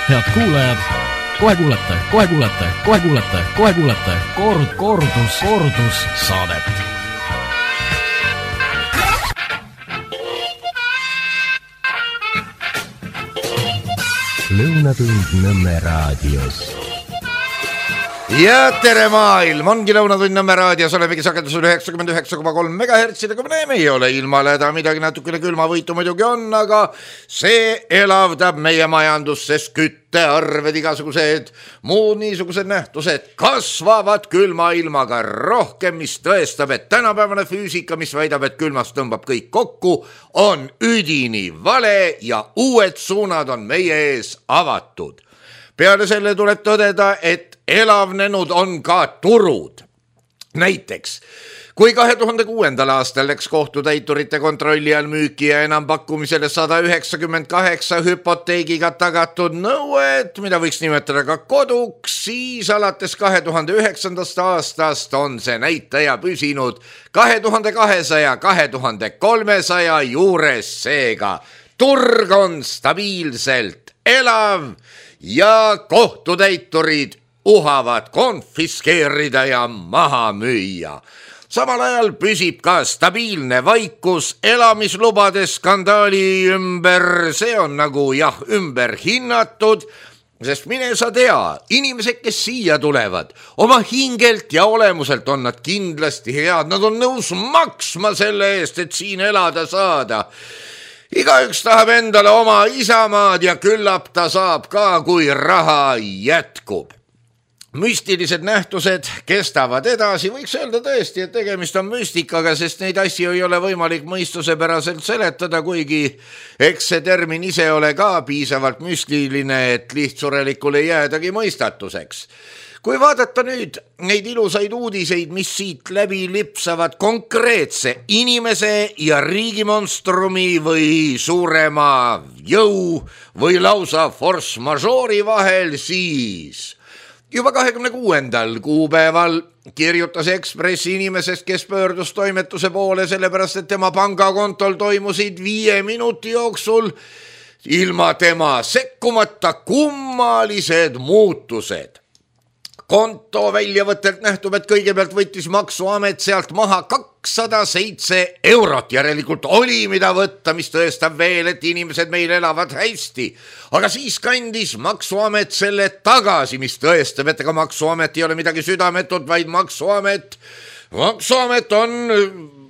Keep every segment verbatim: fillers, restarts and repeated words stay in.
Head kuulajad, kohe kuulete, kohe kuulete, kohe kuulete, kohe kuulete kord, kordus, kordus saadet. Lõunatund Nõmme raadios. Ja tere maailm, ongi Lõunatund Nõmme raadios, olemegi sagedusel üheksakümmend üheksa koma kolm megahertsi, kui me näeme, ei ole ilmaleda, midagi natukene külmavõitu muidugi on, aga see elavdab meie majandust, sest küttearved, igasugused muud niisugused nähtused kasvavad külma ilmaga rohkem, mis tõestab, et tänapäevane füüsika, mis väidab, et külmast tõmbab kõik kokku, on üdini vale ja uued suunad on meie ees avatud. Peale selle tuleb tõdeda, et elavnenud on ka turud. Näiteks, kui kahe tuhande kuuendal aastal läks kohtutäiturite kontrolli all müüki ja enampakkumisele sada üheksakümmend kaheksa hüpoteegiga tagatud nõuet, mida võiks nimetada ka koduks, siis alates kahe tuhande üheksandast aastast on see näitaja püsinud kahe tuhande kahesaja, kahe tuhande kolmesaja juures, seega turg on stabiilselt elav ja kohtutäiturid uhavad konfiskeerida ja maha müüa. Samal ajal püsib ka stabiilne vaikus elamislubade skandaali ümber, see on nagu jah, ümber hinnatud, sest mine sa tea, inimesed, kes siia tulevad, oma hingelt ja olemuselt on nad kindlasti head, nad on nõus maksma selle eest, et siin elada saada. Igaüks tahab endale oma isamaad ja küllap ta saab ka, kui raha jätkub. Müstilised nähtused kestavad edasi, võiks öelda tõesti, et tegemist on müstikaga, sest neid asju ei ole võimalik mõistusepäraselt seletada, kuigi eks see termin ise ole ka piisavalt müstiline, et lihtsurelikule jäädagi mõistatuseks. Kui vaadata nüüd neid ilusaid uudiseid, mis siit läbi lipsavad konkreetse inimese ja riigimonstrumi või suurema jõu või lausa force majeure'i vahel, siis juba kahekümne kuuendal kuupäeval kirjutas Ekspressi inimesest, kes pöördus toimetuse poole sellepärast, et tema pangakontol toimusid viie minuti jooksul ilma tema sekkumata kummalised muutused. Konto väljavõttelt nähtub, et kõigepealt võttis maksuamet sealt maha kakssada seitse eurot, järelikult oli mida võtta, mis tõestab veel, et inimesed meil elavad hästi. Aga siis kandis maksuamet selle tagasi, mis tõestab, et ega maksuamet ei ole midagi südametut, vaid maksuamet, maksuamet on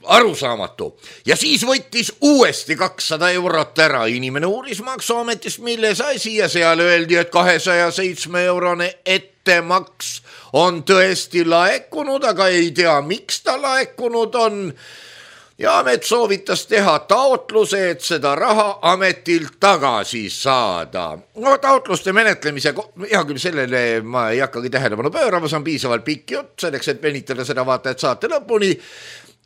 arusaamatu. Ja siis võttis uuesti kakssada eurot ära. Inimene uuris maksuametist, milles asi, ja seal öeldi, et kahesaja seitsme eurone ettemaks on tõesti laekunud, aga ei tea, miks ta laekunud on. Ja amet soovitas teha taotluse, et seda raha ametilt tagasi saada. No taotluste menetlemise, hea küll sellele ma ei hakkagi tähelepanu pöörama, see on piisavalt pikk jutt, selleks, et venitada seda vaata, et saate lõpuni.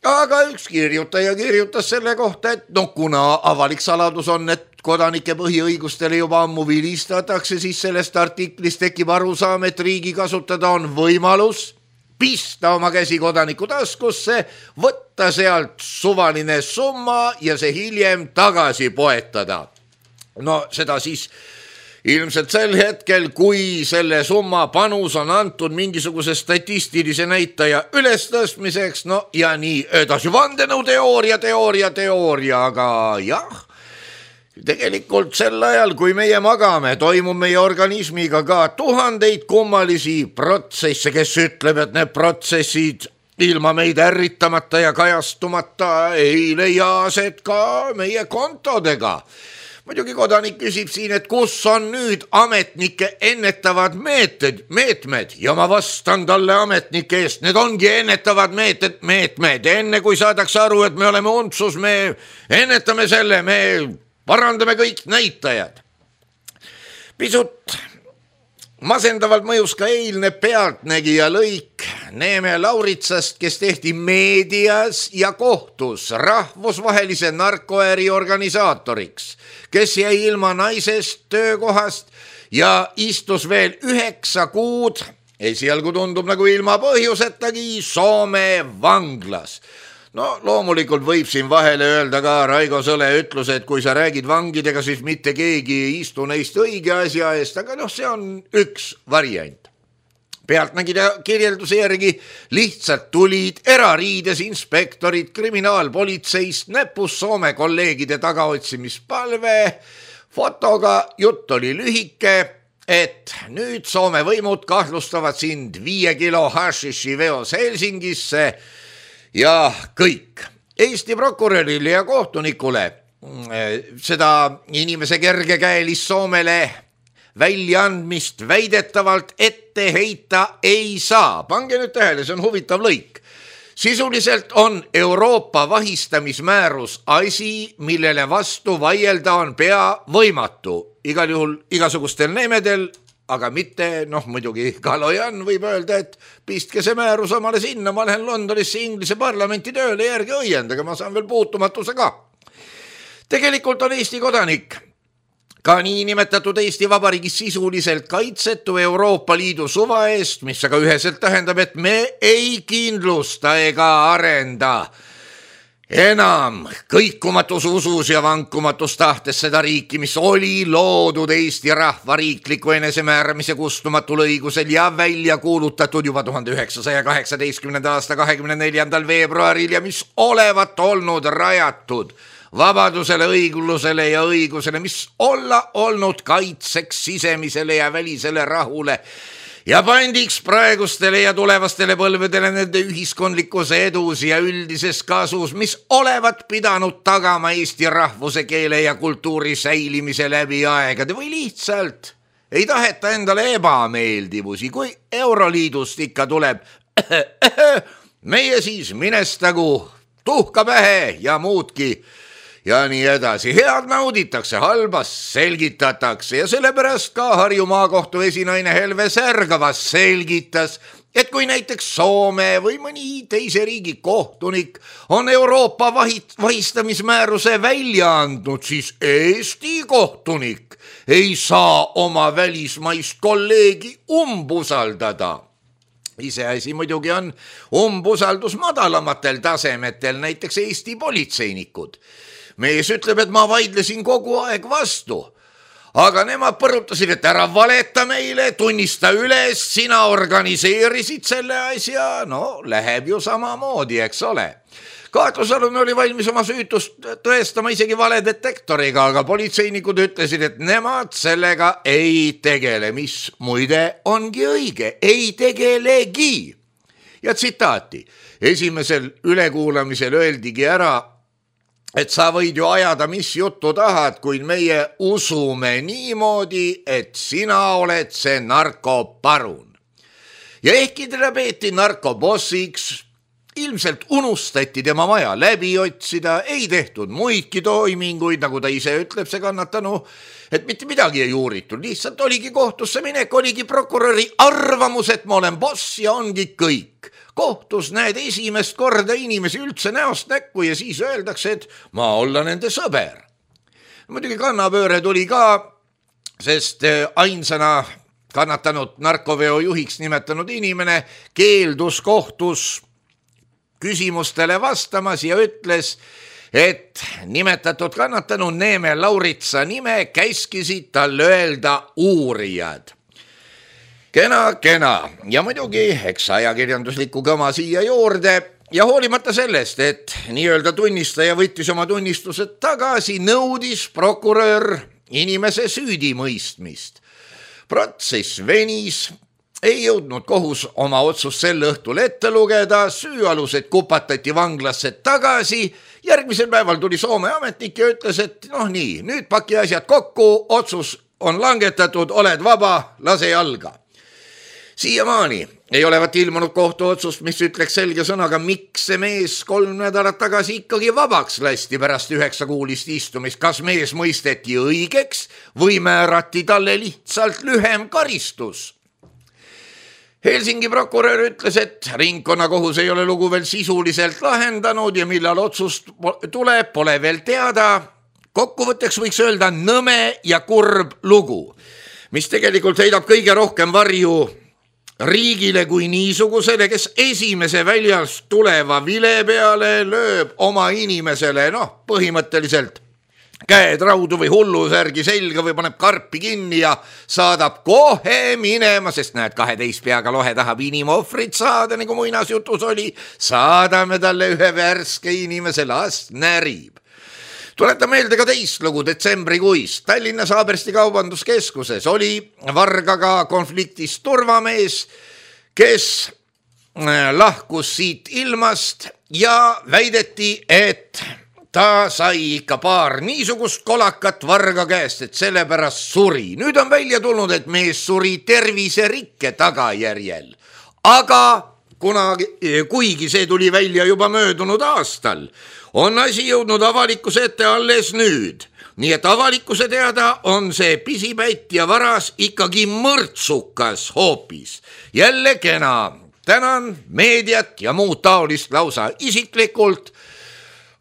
Aga üks kirjutaja kirjutas selle kohta, et no kuna avalik saladus on, et kodanike põhiõigustele juba ammu vilistatakse, siis sellest artiklist tekib arusaam, et riigi kasutada on võimalus pista oma käsi kodaniku taskusse, võtta sealt suvaline summa ja see hiljem tagasi poetada. No seda siis ilmselt sel hetkel, kui selle summa panus on antud mingisuguse statistilise näitaja ülestõstmiseks, no ja nii edasi, vandenõuteooria, teooria, teooria, aga jah, tegelikult sel ajal, kui meie magame, toimub meie organismiga ka tuhandeid kummalisi protsesse, kes ütleb, et need protsessid ilma meid ärritamata ja kajastumata ei leia aset ka meie kontodega. Muidugi kodanik küsib siin, et kus on nüüd ametnike ennetavad meetmed, meetmed ja ma vastan talle ametnike eest, need ongi ennetavad meetmed, meetmed. Enne kui saadakse aru, et me oleme untsus, me ennetame selle, me parandame kõik näitajad. Pisut masendavalt mõjus ka eilne Pealtnägija lõik Neeme Lauritsast, kes tehti meedias ja kohtus rahvusvahelise narkoäri organisaatoriks, kes jäi ilma naisest töökohast ja istus veel üheksa kuud, esialgu tundub nagu ilma põhjusetagi, Soome vanglas. no loomulikult võib siin vahele öelda ka Raigo Sõle ütlus, et kui sa räägid vangidega, siis mitte keegi ei istu neist õige asja eest, aga noh, see on üks variant. Pealtnägija kirjelduse järgi lihtsalt tulid erariides inspektorid kriminaalpolitseist näpus Soome kolleegide tagaotsimispalve fotoga. Jutt oli lühike, et nüüd Soome võimud kahtlustavad sind viie kilo hašiši veos Helsingisse ja kõik. Eesti prokurörile ja kohtunikule seda inimese kergekäelist Soomele väljaandmist väidetavalt ette heita ei saa. Pange nüüd tähele, see on huvitav lõik. Sisuliselt on Euroopa vahistamismäärus asi, millele vastu vaielda on pea võimatu. Igal juhul igasugustel nemedel, aga mitte, noh muidugi Kalojan võib öelda, et pistke see määrus omale sinna, ma lähen Londonisse Inglise parlamenti tööle järgi õiendaga, ma saan veel puutumatuse ka. Tegelikult on Eesti kodanik ka nii nimetatud Eesti Vabariigis sisuliselt kaitsetu Euroopa Liidu suva eest, mis aga üheselt tähendab, et me ei kindlusta ega arenda enam kõikumatus usus ja vankumatus tahtes seda riiki, mis oli loodud Eesti rahva riikliku enesemääramise kustumatul õigusel ja välja kuulutatud juba tuhande üheksasaja kaheksateistkümnenda aasta kahekümne neljandal veebruaril ja mis olevat olnud rajatud vabadusele, õiglusele ja õigusele, mis olla olnud kaitseks sisemisele ja välisele rahule ja pandiks praegustele ja tulevastele põlvedele nende ühiskondlikus edus ja üldises kasus, mis olevat pidanud tagama Eesti rahvuse, keele ja kultuuri säilimise läbi aegade või lihtsalt ei taheta endale ebameeldivusi, kui Euroliidust ikka tuleb meie siis minestagu tuhka pähe ja muudki ja nii edasi. Head nauditakse, halbas selgitatakse ja sellepärast ka Harju maakohtu esinaine Helve Särgavas selgitas, et kui näiteks Soome või mõni teise riigi kohtunik on Euroopa vahistamismääruse välja andnud, siis Eesti kohtunik ei saa oma välismaist kolleegi umbusaldada. Iseasi muidugi on umbusaldus madalamatel tasemetel, näiteks Eesti politseinikud. Mees ütleb, et ma vaidlesin kogu aeg vastu, aga nemad põrutasid, et ära valeta meile, tunnista üles, sina organiseerisid selle asja, no läheb ju samamoodi, eks ole. Kaatlusalune oli valmis oma süütust tõestama isegi valedetektoriga, aga politseinikud ütlesid, et nemad sellega ei tegele, mis muide ongi õige, ei tegelegi. Ja tsitaati, esimesel ülekuulamisel öeldigi ära, et sa võid ju ajada, mis juttu tahad, kuid meie usume niimoodi, et sina oled see narkoparun. Ja ehkki teda peeti narkobossiks, ilmselt unustati tema maja läbi otsida, ei tehtud muidki toiminguid, nagu ta ise ütleb, see kannatanu, et mitte midagi ei uuritud, lihtsalt oligi kohtusse minek, oligi prokuröri arvamus, et ma olen boss ja ongi kõik. Kohtus näed esimest korda inimesi üldse näost näkku ja siis öeldakse, et ma olla nende sõber. Muidugi kannapööre tuli ka, sest ainsana kannatanud narkoveo juhiks nimetanud inimene keeldus kohtus küsimustele vastamas ja ütles, et nimetatud kannatanu Neeme Lauritsa nime käskisid tal öelda uurijad. Kena, kena ja muidugi eks ajakirjandusliku kõma siia juurde ja hoolimata sellest, et nii-öelda tunnistaja võttis oma tunnistused tagasi, nõudis prokurör inimese süüdimõistmist. Protsess venis, ei jõudnud kohus oma otsust sel õhtul ette lugeda, süüalused kupatati vanglasse tagasi, järgmisel päeval tuli Soome ametnik ja ütles, et noh nii, nüüd paki asjad kokku, otsus on langetatud, oled vaba, lase jalga. Siiamaani ei olevat ilmunud kohtuotsust, mis ütleks selge sõnaga, miks see mees kolm nädalat tagasi ikkagi vabaks lasti pärast üheksakuulist istumist, kas mees mõisteti õigeks või määrati talle lihtsalt lühem karistus. Helsingi prokurör ütles, et ringkonnakohus ei ole lugu veel sisuliselt lahendanud ja millal otsust tuleb, pole veel teada. Kokkuvõtteks võiks öelda nõme ja kurb lugu, mis tegelikult heidab kõige rohkem varju riigile kui niisugusele, kes esimese väljast tuleva vile peale lööb oma inimesele, noh, põhimõtteliselt käed raudu või hullusärgi selga või paneb karpi kinni ja saadab kohe minema, sest näed, kaheteist peaga lohe tahab inimohvrit saada, nagu muinasjutus oli, saadame talle ühe värske inimese, las närib. Tuleta meelde ka teist lugu detsembrikuist. Tallinnas Haabersti kaubanduskeskuses oli vargaga konfliktis turvamees, kes lahkus siit ilmast ja väideti, et ta sai ikka paar niisugust kolakat varga käest, et sellepärast suri. Nüüd on välja tulnud, et mees suri terviserikke tagajärjel. Aga kunagi, kuigi see tuli välja juba möödunud aastal, on asi jõudnud avalikkuse ette alles nüüd. Nii et avalikkuse teada on see pisipätt ja varas ikkagi mõrtsukas hoopis. Jälle kena. Tänan meediat ja muud taolist lausa isiklikult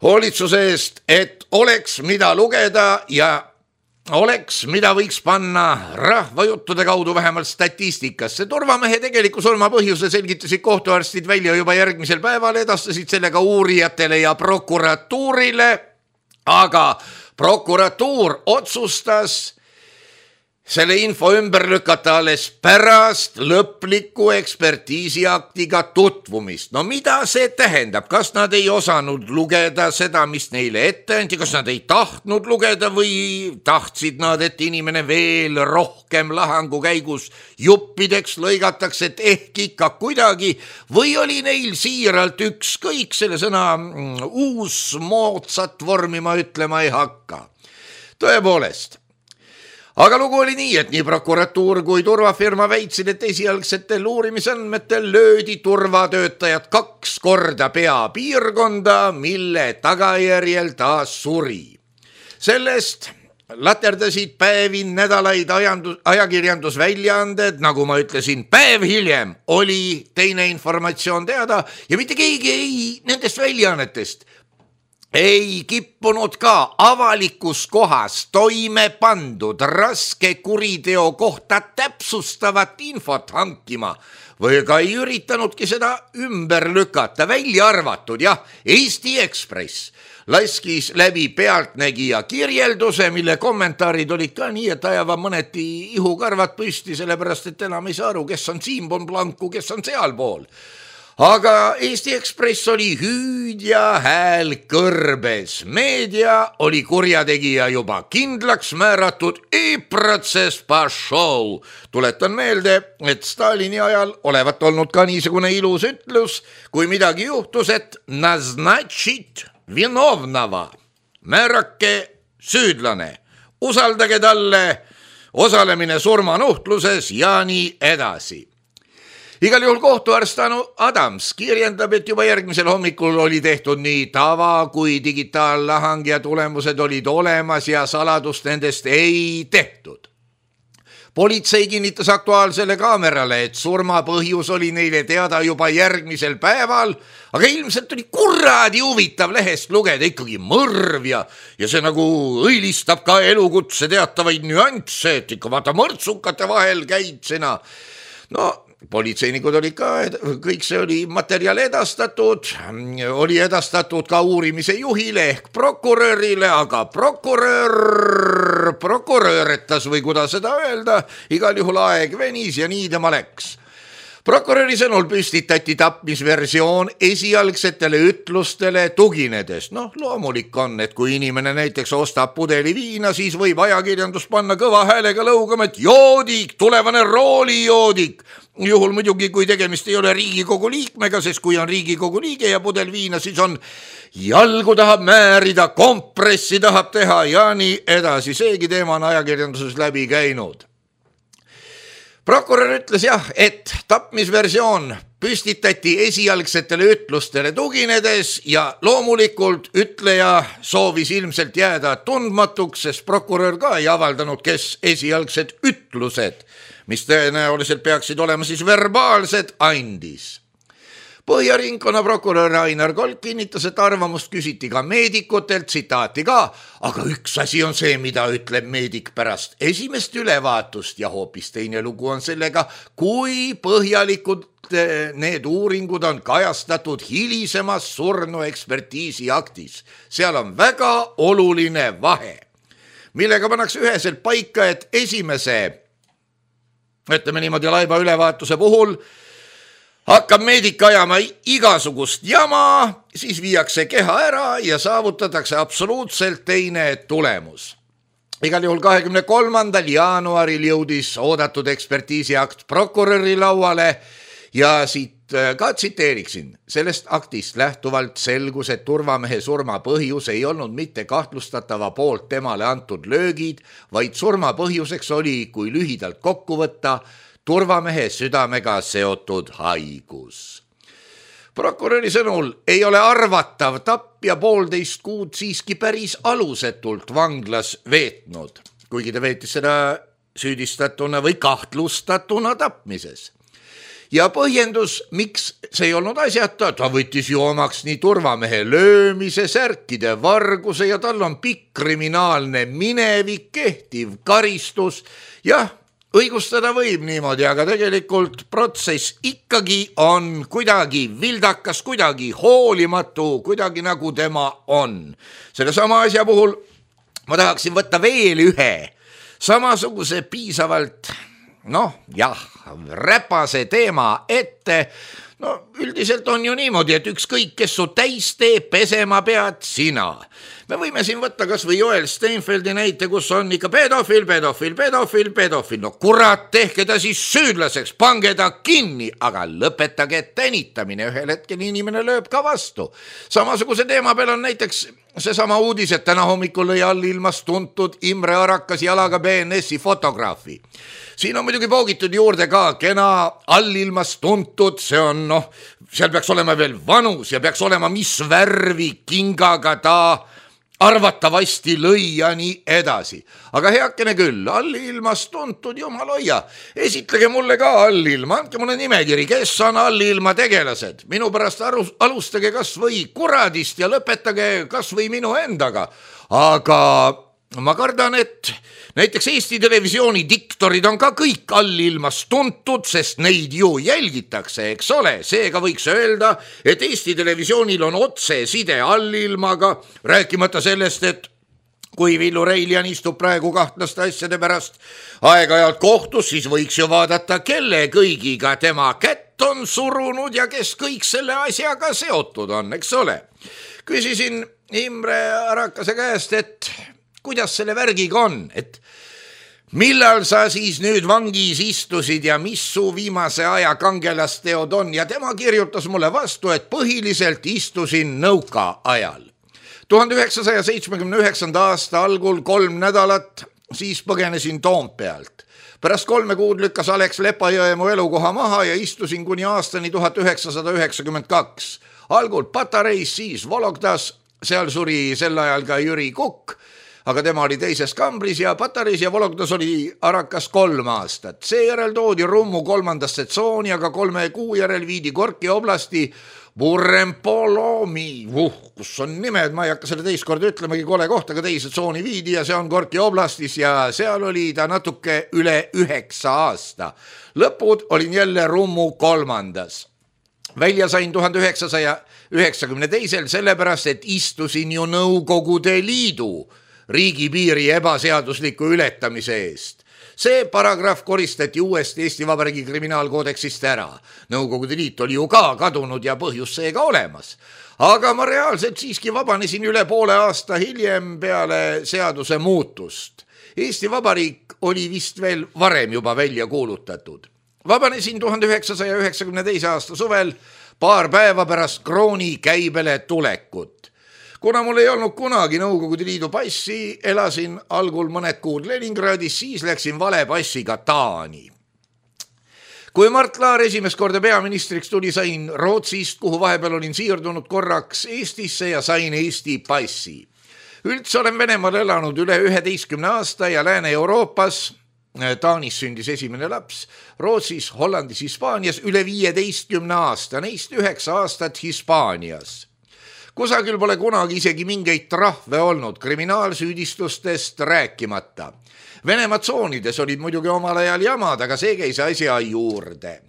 hoolitsuse eest, et oleks mida lugeda ja oleks, mida võiks panna rahvajuttude kaudu vähemalt statistikasse. Turvamehe tegeliku surma põhjuse selgitasid kohtuarstid välja juba järgmisel päeval, edastasid sellega uurijatele ja prokuratuurile, aga prokuratuur otsustas selle info ümber lükata alles pärast lõpliku ekspertiisiaktiga tutvumist. No mida see tähendab? Kas nad ei osanud lugeda seda, mis neile ette anti? Kas nad ei tahtnud lugeda või tahtsid nad, et inimene veel rohkem lahangu käigus juppideks lõigatakse, et ehk ikka kuidagi, või oli neil siiralt ükskõik, selle sõna uus moodsat vormi ma ütlema ei hakka. Tõepoolest. Aga lugu oli nii, et nii prokuratuur kui turvafirma väitsid, et esialgsetel uurimisandmetel löödi turvatöötajad kaks korda peapiirkonda, mille tagajärjel ta suri. Sellest laterdasid päevi nädalaid ajandus, ajakirjandusväljaanded, nagu ma ütlesin, päev hiljem oli teine informatsioon teada ja mitte keegi ei nendest väljaannetest ei kippunud ka avalikus kohas toime pandud raske kuriteo kohta täpsustavat infot hankima või ka ei üritanudki seda ümber lükata, välja arvatud, jah, Eesti Ekspress laskis läbi Pealtnägija kirjelduse, mille kommentaarid olid ka nii, et ajava mõneti ihukarvad püsti, sellepärast et enam ei saa aru, kes on siinpool planku, kes on sealpool. Aga Eesti Ekspress oli hüüdja hääl kõrbes. Meedia oli kurjategija juba kindlaks määratud i protsess pašou. Tuletan meelde, et Stalini ajal olevat olnud ka niisugune ilus ütlus, kui midagi juhtus, et naznatšit vinovnava. Määrake süüdlane. Usaldage talle osalemine surmanuhtluses ja nii edasi. Igal juhul kohtuarst Anu Adams kirjendab, et juba järgmisel hommikul oli tehtud nii tava kui digitaallahang ja tulemused olid olemas ja saladust nendest ei tehtud. Politsei kinnitas Aktuaalsele kaamerale, et surma põhjus oli neile teada juba järgmisel päeval, aga ilmselt oli kuradi huvitav lehest lugeda ikkagi mõrv ja, ja see nagu õilistab ka elukutse teatavaid nüansse, et ikka vaata mõrtsukate vahel käid sina. No politseinikud olid ka, kõik see oli materjal edastatud, oli edastatud ka uurimise juhile ehk prokurörile, aga prokurör, prokurööretas või kuidas seda öelda, igal juhul aeg venis ja nii tema läks. Prokuröri sõnul püstitati tapmisversioon esialgsetele ütlustele tuginedes. Noh, loomulik on, et kui inimene näiteks ostab pudeli viina, siis võib ajakirjandus panna kõva häälega lõugama, et joodik, tulevane roolijoodik. Juhul muidugi, kui tegemist ei ole Riigikogu liikmega, sest kui on Riigikogu liige ja pudel viina, siis on jalgu tahab määrida, kompressi tahab teha ja nii edasi. Seegi teema on ajakirjanduses läbi käinud. Prokurör ütles jah, et tapmisversioon püstitati esialgsetele ütlustele tuginedes ja loomulikult ütleja soovis ilmselt jääda tundmatuks, sest prokurör ka ei avaldanud, kes esialgsed ütlused, mis tõenäoliselt peaksid olema siis verbaalsed, andis. Põhjaringkonna prokurör Ainar Kolk kinnitas, et arvamust küsiti ka meedikutelt, tsitaati ka, aga üks asi on see, mida ütleb meedik pärast esimest ülevaatust ja hoopis teine lugu on sellega, kui põhjalikud need uuringud on kajastatud hilisemas surnu ekspertiisi aktis. Seal on väga oluline vahe, millega pannakse üheselt paika, et esimese, ütleme niimoodi laiba ülevaatuse puhul hakkab meedik ajama igasugust jama, siis viiakse keha ära ja saavutatakse absoluutselt teine tulemus. Igal juhul kahekümne kolmandal jaanuaril jõudis oodatud ekspertiisiakt prokuröri lauale ja siit ka tsiteeriksin. Sellest aktist lähtuvalt selgus, et turvamehe surma põhjus ei olnud mitte kahtlustatava poolt temale antud löögid, vaid surma põhjuseks oli, kui lühidalt kokku võtta, turvamehe südamega seotud haigus. Prokuröri sõnul ei ole arvatav tapja poolteist kuud siiski päris alusetult vanglas veetnud, kuigi ta veetis seda süüdistatuna või kahtlustatuna tapmises. Ja põhjendus, miks see ei olnud asjata, ta võttis ju omaks nii turvamehe löömise, särkide, varguse ja tal on pikk kriminaalne minevik, kehtiv karistus. Jah, õigustada võib niimoodi, aga tegelikult protsess ikkagi on kuidagi vildakas, kuidagi hoolimatu, kuidagi nagu tema on. Selle sama asja puhul ma tahaksin võtta veel ühe samasuguse piisavalt, noh jah, räpase teema ette. No üldiselt on ju niimoodi, et ükskõik, kes su täis teeb, pesema pead sina. Me võime siin võtta kas või Joel Steinfeldi näite, kus on ikka pedofil, pedofil, pedofil, pedofil. No kurat, tehke ta siis süüdlaseks, pange ta kinni, aga lõpetage tänitamine. Ühel hetkel inimene lööb ka vastu. Samasuguse teema peal on näiteks seesama uudis, et täna hommikul lõi allilmas tuntud Imre Arakas jalaga B N S-i fotograafi. Siin on muidugi poogitud juurde ka kena allilmas tuntud, see on noh, seal peaks olema veel vanus ja peaks olema mis värvi kingaga ta arvatavasti lõi ja nii edasi. Aga heakene küll, allilmas tuntud, jumal hoia, esitlege mulle ka allilma, andke mulle nimekiri, kes on allilma tegelased. Minu pärast alustage kas või kuradist ja lõpetage kas või minu endaga. Aga ma kardan, et näiteks Eesti Televisiooni diktorid on ka kõik allilmas tuntud, sest neid ju jälgitakse, eks ole. Seega võiks öelda, et Eesti Televisioonil on otse side allilmaga, rääkimata sellest, et kui Villu Reiljan istub praegu kahtlaste asjade pärast aeg-ajalt kohtus, siis võiks ju vaadata, kelle kõigiga tema kätt on surunud ja kes kõik selle asjaga seotud on, eks ole. Küsisin Imre Arakase käest, et kuidas selle värgiga on, et millal sa siis nüüd vangis istusid ja mis su viimase aja kangelasteod on, ja tema kirjutas mulle vastu, et põhiliselt istusin nõuka ajal. tuhande üheksasaja seitsmekümne üheksanda aasta algul kolm nädalat, siis põgenesin Toompealt. Pärast kolme kuud lükkas Alex Lepajõe mu elukoha maha ja istusin kuni aastani tuhat üheksasada üheksakümmend kaks. Algul Patareis, siis Vologdas, seal suri sel ajal ka Jüri Kukk, aga tema oli teises kambris ja Patareis ja Vologdas oli Arakas kolm aastat. Seejärel toodi Rummu kolmandasse tsooni, aga kolme kuu järel viidi Gorki oblasti Burempolomi, uh, kus on nimed, ma ei hakka selle teist korda ütlemagi, kole kohta, aga teise tsooni viidi ja see on Gorki oblastis ja seal oli ta natuke üle üheksa aasta. Lõpud olin jälle Rummu kolmandas. Välja sain tuhande üheksasaja üheksakümne teisel sellepärast, et istusin ju Nõukogude Liidu riigipiiri ebaseadusliku ületamise eest. See paragrahv koristati uuesti Eesti Vabariigi kriminaalkoodeksist ära. Nõukogude Liit oli ju ka kadunud ja põhjus seega olemas. Aga ma reaalselt siiski vabanesin üle poole aasta hiljem peale seaduse muutust. Eesti Vabariik oli vist veel varem juba välja kuulutatud. Vabanesin tuhande üheksasaja üheksakümne teise aasta suvel, paar päeva pärast krooni käibele tulekut. Kuna mul ei olnud kunagi Nõukogude Liidu passi, elasin algul mõned kuud Leningradis, siis läksin vale passiga Taani. Kui Mart Laar esimest korda peaministriks tuli, sain Rootsist, kuhu vahepeal olin siirdunud korraks Eestisse ja sain Eesti passi. Üldse olen Venemaal elanud üle üheteistkümne aasta ja Lääne-Euroopas, Taanis sündis esimene laps, Rootsis, Hollandis, Hispaanias üle viieteistkümne aasta, neist üheksa aastat Hispaanias. Kusagil pole kunagi isegi mingeid trahve olnud, kriminaalsüüdistustest rääkimata. Venemaa tsoonides olid muidugi omal ajal jamad, aga see käis asja juurde.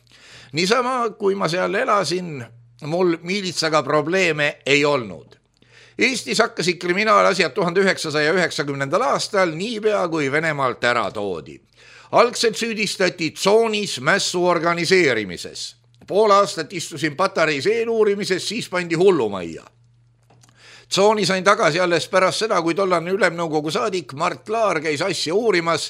Niisama, kui ma seal elasin, mul miilitsaga probleeme ei olnud. Eestis hakkasid kriminaalasjad tuhande üheksasaja üheksakümnendal aastal niipea kui Venemaalt ära toodi. Algselt süüdistati tsoonis mässu organiseerimises. Pool aastat istusin patareis eeluurimises, siis pandi hullumajja. Tsooni sain tagasi alles pärast seda, kui tollane ülemnõukogu saadik Mart Laar käis asja uurimas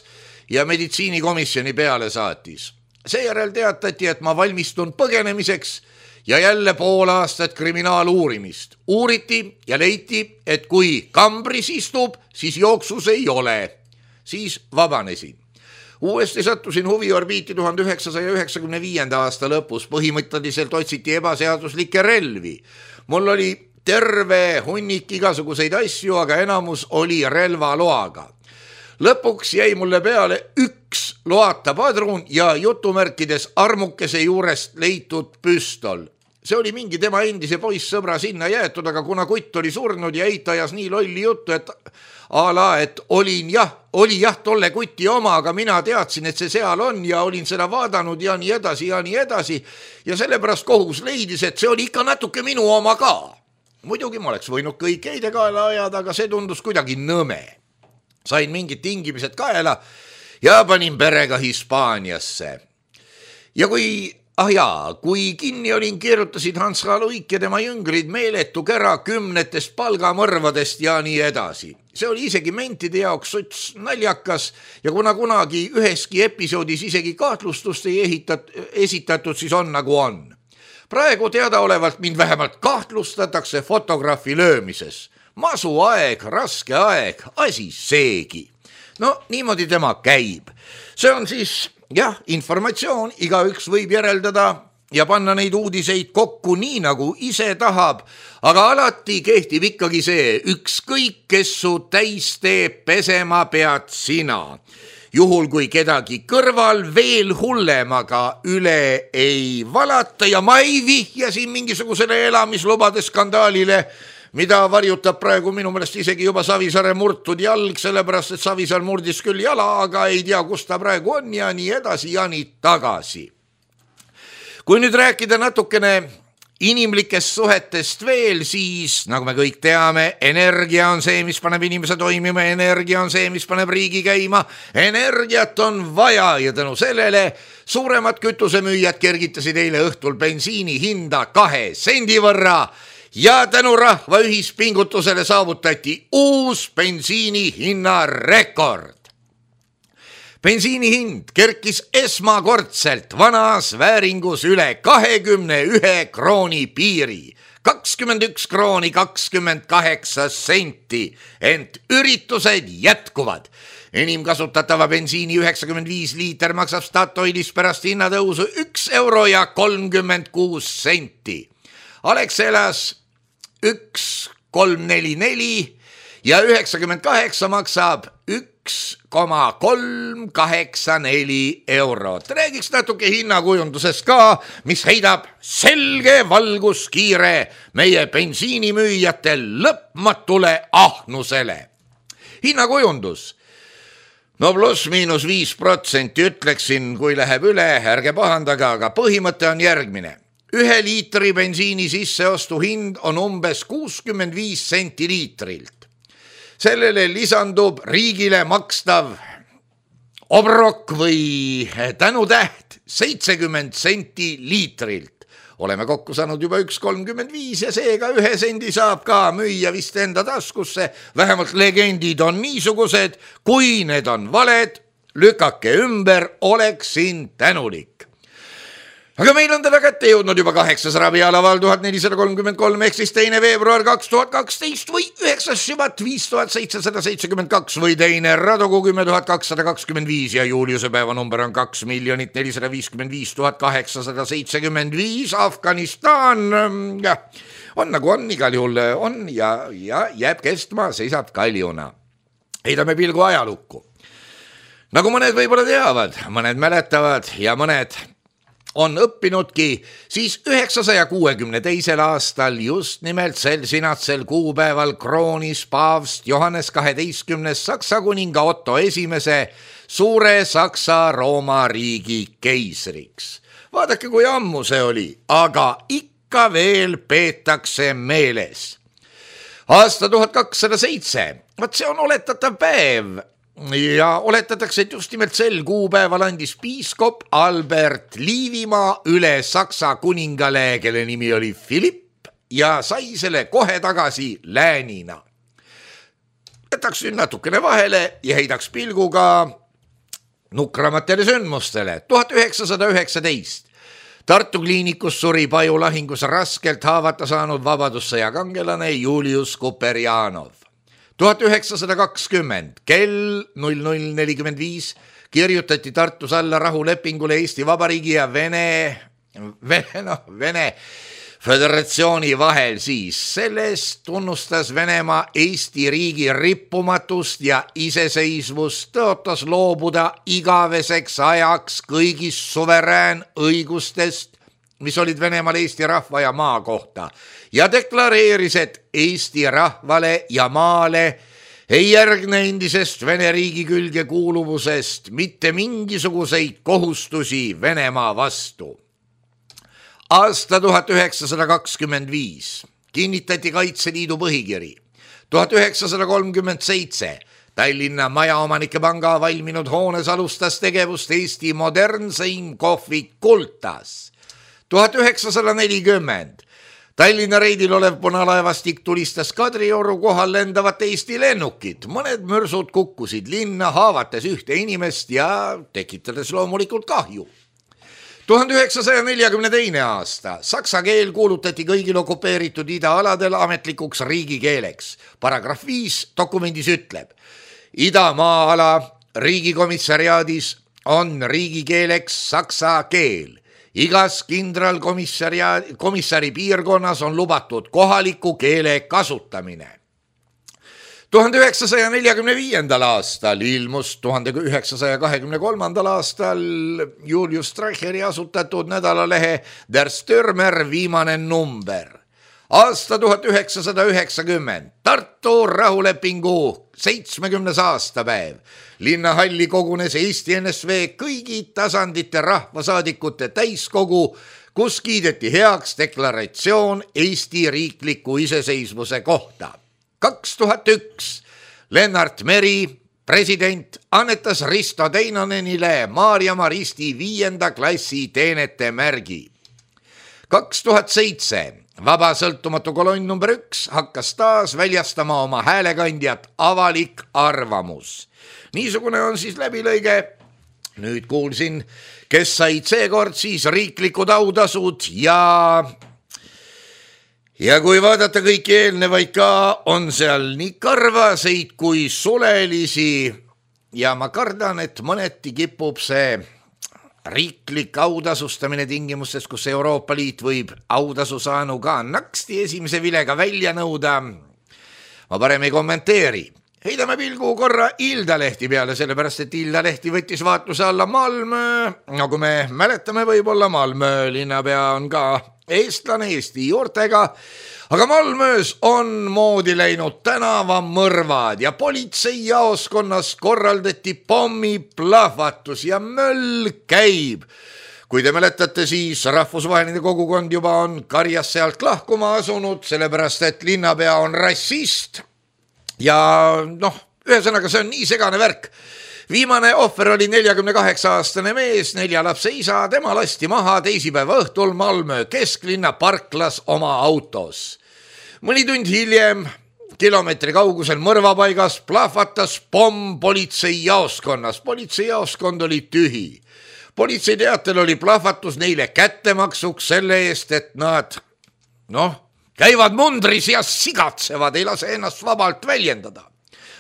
ja meditsiinikomisjoni peale saatis. Seejärel teatati, et ma valmistun põgenemiseks ja jälle pool aastat kriminaaluurimist. Uuriti ja leiti, et kui kambris istub, siis jooksus ei ole. Siis vabanesin. Uuesti sattusin huviorbiiti tuhande üheksasaja üheksakümne viienda aasta lõpus. Põhimõtteliselt otsiti ebaseaduslikke relvi. Mul oli terve hunnik igasuguseid asju, aga enamus oli relvaloaga. Lõpuks jäi mulle peale üks loata padrun ja jutumärkides armukese juurest leitud püstol. See oli mingi tema endise poissõbra sinna jäetud, aga kuna kutt oli surnud ja eitajas nii lolli juttu, et ala, et olin jah, oli jah tolle kuti oma, aga mina teadsin, et see seal on ja olin seda vaadanud ja nii edasi ja nii edasi. Ja sellepärast kohus leidis, et see oli ikka natuke minu oma ka. Muidugi ma oleks võinud kõik eide kaela ajada, aga see tundus kuidagi nõme. Sain mingid tingimised kaela ja panin perega Hispaaniasse. Ja kui, ah jaa, kui kinni olin, keerutasid Hans H. Luik ja tema jüngrid meeletu kära kümnetest palgamõrvadest ja nii edasi. See oli isegi mentide jaoks sots naljakas ja kuna kunagi üheski episoodis isegi kahtlustust ei ehitat, esitatud, siis on nagu on. Praegu teadaolevalt mind vähemalt kahtlustatakse fotograafi löömises. Masu aeg, raske aeg, asi seegi. No niimoodi tema käib. See on siis, jah, informatsioon, igaüks võib järeldada ja panna neid uudiseid kokku nii, nagu ise tahab, aga alati kehtib ikkagi see, ükskõik, kes su täis teeb, pesema pead sina. Juhul kui kedagi kõrval veel hullemaga üle ei valata ja ma ei vihja siin mingisugusele elamislubade skandaalile, mida varjutab praegu minu meelest isegi juba Savisaare murtud jalg, sellepärast et Savisaar murdis küll jala, aga ei tea, kus ta praegu on ja nii edasi ja nii tagasi. Kui nüüd rääkida natukene inimlikest suhetest veel, siis nagu me kõik teame, energia on see, mis paneb inimese toimima, energia on see, mis paneb riigi käima, energiat on vaja ja tänu sellele suuremad kütusemüüjad kergitasid eile õhtul bensiini hinda kahe sendi võrra ja tänu rahva ühispingutusele saavutati uus bensiini hinna rekord. Bensiini hind kerkis esmakordselt vanas vääringus üle kahekümne ühe krooni piiri, kakskümmend üks krooni kakskümmend kaheksa senti, ent üritused jätkuvad. Enim kasutatava bensiini üheksakümmend viis liiter maksab Statoilis pärast hinnatõusu üks euro ja kolmkümmend kuus senti. Alexelas üks kolm neli neli ja üheksakümmend kaheksa maksab üks koma kolm kaheksa neli eurot. Räägiks natuke hinnakujundusest ka, mis heidab selge valguskiire meie bensiinimüüjate lõpmatule ahnusele. Hinnakujundus. No pluss miinus viis protsenti ütleksin, kui läheb üle, ärge pahandaga, aga põhimõte on järgmine. Ühe liitri bensiini sisseostu hind on umbes kuuskümmend viis senti liitrilt. Sellele lisandub riigile makstav obrok või tänutäht seitsekümmend senti liitrilt. Oleme kokku saanud juba üks kolmkümmend viis ja seega ühe sendi saab ka müüa vist enda taskusse. Vähemalt legendid on niisugused, kui need on valed, lükake ümber, oleksin tänulik. Aga meil on teda kätte jõudnud juba kaheksas rabialaval tuhat nelisada kolmkümmend kolm ehk siis teine veebruar kaks tuhat kaksteist või üheksas sübat viis tuhat seitsesada seitsekümmend kaks või teine radogu kümme tuhat kakssada kakskümmend viis ja Juliuse päeva number on kaks miljonit nelisada viiskümmend viis tuhat kaheksasada seitsekümmend viis. Afganistan ja, on nagu on, igal juhul on ja, ja jääb kestma, seisab kaljuna. Heidame pilgu ajalukku. Nagu mõned võib-olla teavad, mõned mäletavad ja mõned on õppinudki, siis üheksasaja kuuekümne teisel aastal just nimelt sel sinatsel kuupäeval kroonis paavst Johannes kaheteistkümnes Saksa kuninga Otto esimese suure Saksa-Rooma riigi keisriks. Vaadake, kui ammu see oli, aga ikka veel peetakse meeles. Aasta tuhat kakssada seitse, vaat see on oletatav päev. Ja oletatakse, et just nimelt sel kuupäeval andis piiskop Albert Liivimaa üle Saksa kuningale, kelle nimi oli Philipp, ja sai selle kohe tagasi läänina. Jätaks nüüd natukene vahele ja heidaks pilguga nukramatele sündmustele. tuhat üheksasada üheksateist Tartu kliinikus suri Paju lahingus raskelt haavata saanud vabadussõja kangelane Julius Kuperjanov. tuhat üheksasada kakskümmend kell null null nelikümmend viis kirjutati Tartus alla rahulepingule Eesti Vabariigi ja Vene, Vene, no, Vene Föderatsiooni vahel siis. Sellest tunnustas Venemaa Eesti riigi rippumatust ja iseseisvust, tõotas loobuda igaveseks ajaks kõigist suverään õigustest, mis olid Venemaal Eesti rahva ja maa kohta, ja deklareeris, et Eesti rahvale ja maale ei järgne endisest Vene riigi külge kuuluvusest mitte mingisuguseid kohustusi Venemaa vastu. Aasta tuhat üheksasada kakskümmend viis kinnitati Kaitseliidu põhikiri. tuhat üheksasada kolmkümmend seitse Tallinna Majaomanike Panga valminud hoones alustas tegevust Eesti modernseim kohvik Kultas. tuhat üheksasada nelikümmend Tallinna reidil olev punalaevastik tulistas Kadrioru kohal lendavat Eesti lennukit. Mõned mürsud kukkusid linna, haavates ühte inimest ja tekitades loomulikult kahju. tuhande üheksasaja neljakümne teine aasta saksa keel kuulutati kõigil okupeeritud idaaladel ametlikuks riigikeeleks. Paragrahv viis dokumendis ütleb: Idamaa-ala riigikomissariaadis on riigikeeleks saksa keel. Igas kindralkomissari piirkonnas on lubatud kohaliku keele kasutamine. tuhande üheksasaja neljakümne viiendal aastal ilmus tuhande üheksasaja kahekümne kolmandal aastal Julius Streicheri asutatud nädalalehe Der Stürmer viimane number. Aasta tuhat üheksasada üheksakümmend Tartu rahulepingu seitsmekümnes aastapäev. Linnahalli kogunes Eesti N S V kõigi tasandite rahvasaadikute täiskogu, kus kiideti heaks deklaratsioon Eesti riikliku iseseisvuse kohta. kaks tuhat üks Lennart Meri, president, annetas Risto Teinonenile Maarja Maristi viienda klassi teenete märgi. kaks tuhat seitse Vaba sõltumatu kolonn number üks hakkas taas väljastama oma häälekandjat Avalik arvamus. Niisugune on siis läbilõige. Nüüd kuulsin, kes said seekord siis riiklikud autasud ja ja kui vaadata kõiki eelnevaid ka, on seal nii karvaseid kui sulelisi ja ma kardan, et mõneti kipub see riiklik autasustamine tingimustes, kus Euroopa Liit võib autasu saanu ka naksti esimese vilega välja nõuda. Ma parem ei kommenteeri. Heidame pilgu korra Ilda lehti peale, sellepärast et Ilda lehti võttis vaatluse alla Malmö. Nagu me mäletame, võib-olla Malmö linnapea on ka eestlane Eesti juurtega, aga Malmöös on moodi läinud tänavamõrvad ja politseijaoskonnas korraldati pommiplahvatus ja möll käib. Kui te mäletate, siis rahvusvaheline kogukond juba on karjas sealt lahkuma asunud, sellepärast et linnapea on rassist ja noh, ühesõnaga see on nii segane värk. Viimane ohver oli neljakümne kaheksa aastane mees, nelja lapse isa, tema lasti maha teisipäeva õhtul Malmö kesklinna parklas oma autos. Mõni tund hiljem kilomeetri kaugusel mõrvapaigas plahvatas pomm politseijaoskonnas. Politseijaoskond oli tühi. Politsei teatel oli plahvatus neile kättemaksuks selle eest, et nad noh, käivad mundris ja sigatsevad, ei lase ennast vabalt väljendada.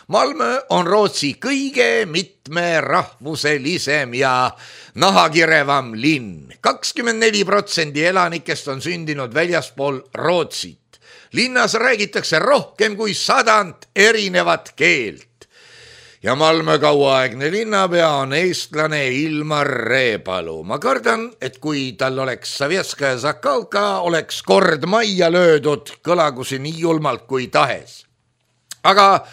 Malmö on Rootsi kõige mitmerahvuselisem ja nahakirevam linn. kakskümmend neli protsenti elanikest on sündinud väljaspool Rootsit. Linnas räägitakse rohkem kui sadant erinevat keelt. ja Malmö kauaaegne linnapea on eestlane Ilmar Reepalu. Ma kardan, et kui tal oleks Savjetskaja Zakalka, oleks kord majja löödud, kõlagu see nii julmalt kui tahes. Aga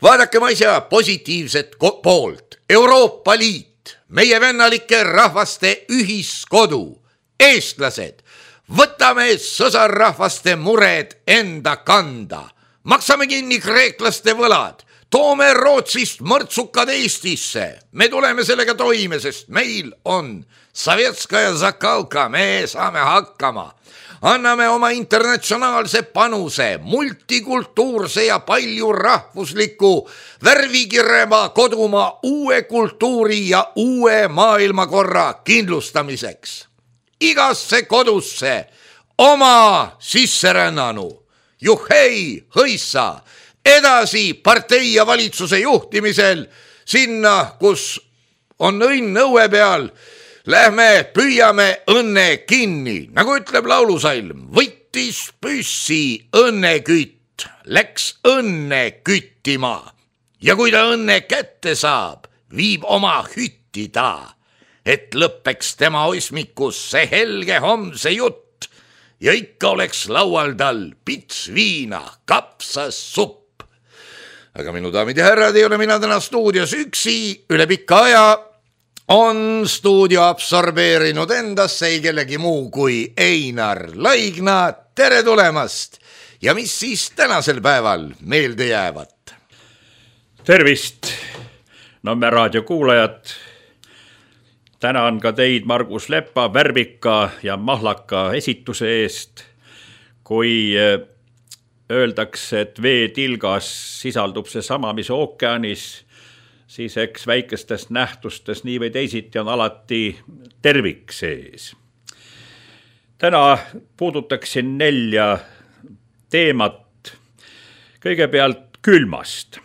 vaadakem asja positiivset poolt. Euroopa Liit, meie vennalike rahvaste ühiskodu, eestlased, võtame sõsarrahvaste mured enda kanda, maksame kinni kreeklaste võlad, toome Rootsist mõrtsukad Eestisse. Me tuleme sellega toime, sest meil on Savjetskaja Zakalka, me saame hakkama. Anname oma internatsionaalse panuse, multikultuurse ja palju rahvusliku värvikirema kodumaa uue kultuuri ja uue maailmakorra kindlustamiseks. Igasse kodusse oma sisserännanu, juhhei, hõissa, edasi partei ja valitsuse juhtimisel sinna, kus on õnn õue peal, lähme püüame õnne kinni, nagu ütleb laulusalm, võttis püssi õnnekütt, läks õnne küttima ja kui ta õnne kätte saab, viib oma hütti ta, et lõppeks tema osmikus see helge homse jutt ja ikka oleks laual tal pits viina, kapsas supp. Aga minu daamid ja härrad, ei ole mina täna stuudios üksi, üle pikka aja on stuudio absorbeerinud endasse ei kellegi muu kui Einar Laigna. Tere tulemast! Ja mis siis tänasel päeval meelde jäävat? Tervist, Nõmme raadio kuulajad! Tänan ka teid, Margus Leppa, värvika ja mahlaka esituse eest. Kui öeldakse, et veetilgas sisaldub see sama, mis ookeanis, siis eks väikestest nähtustes nii või teisiti on alati tervik sees. Täna puudutaksin nelja teemat. Kõigepealt külmast.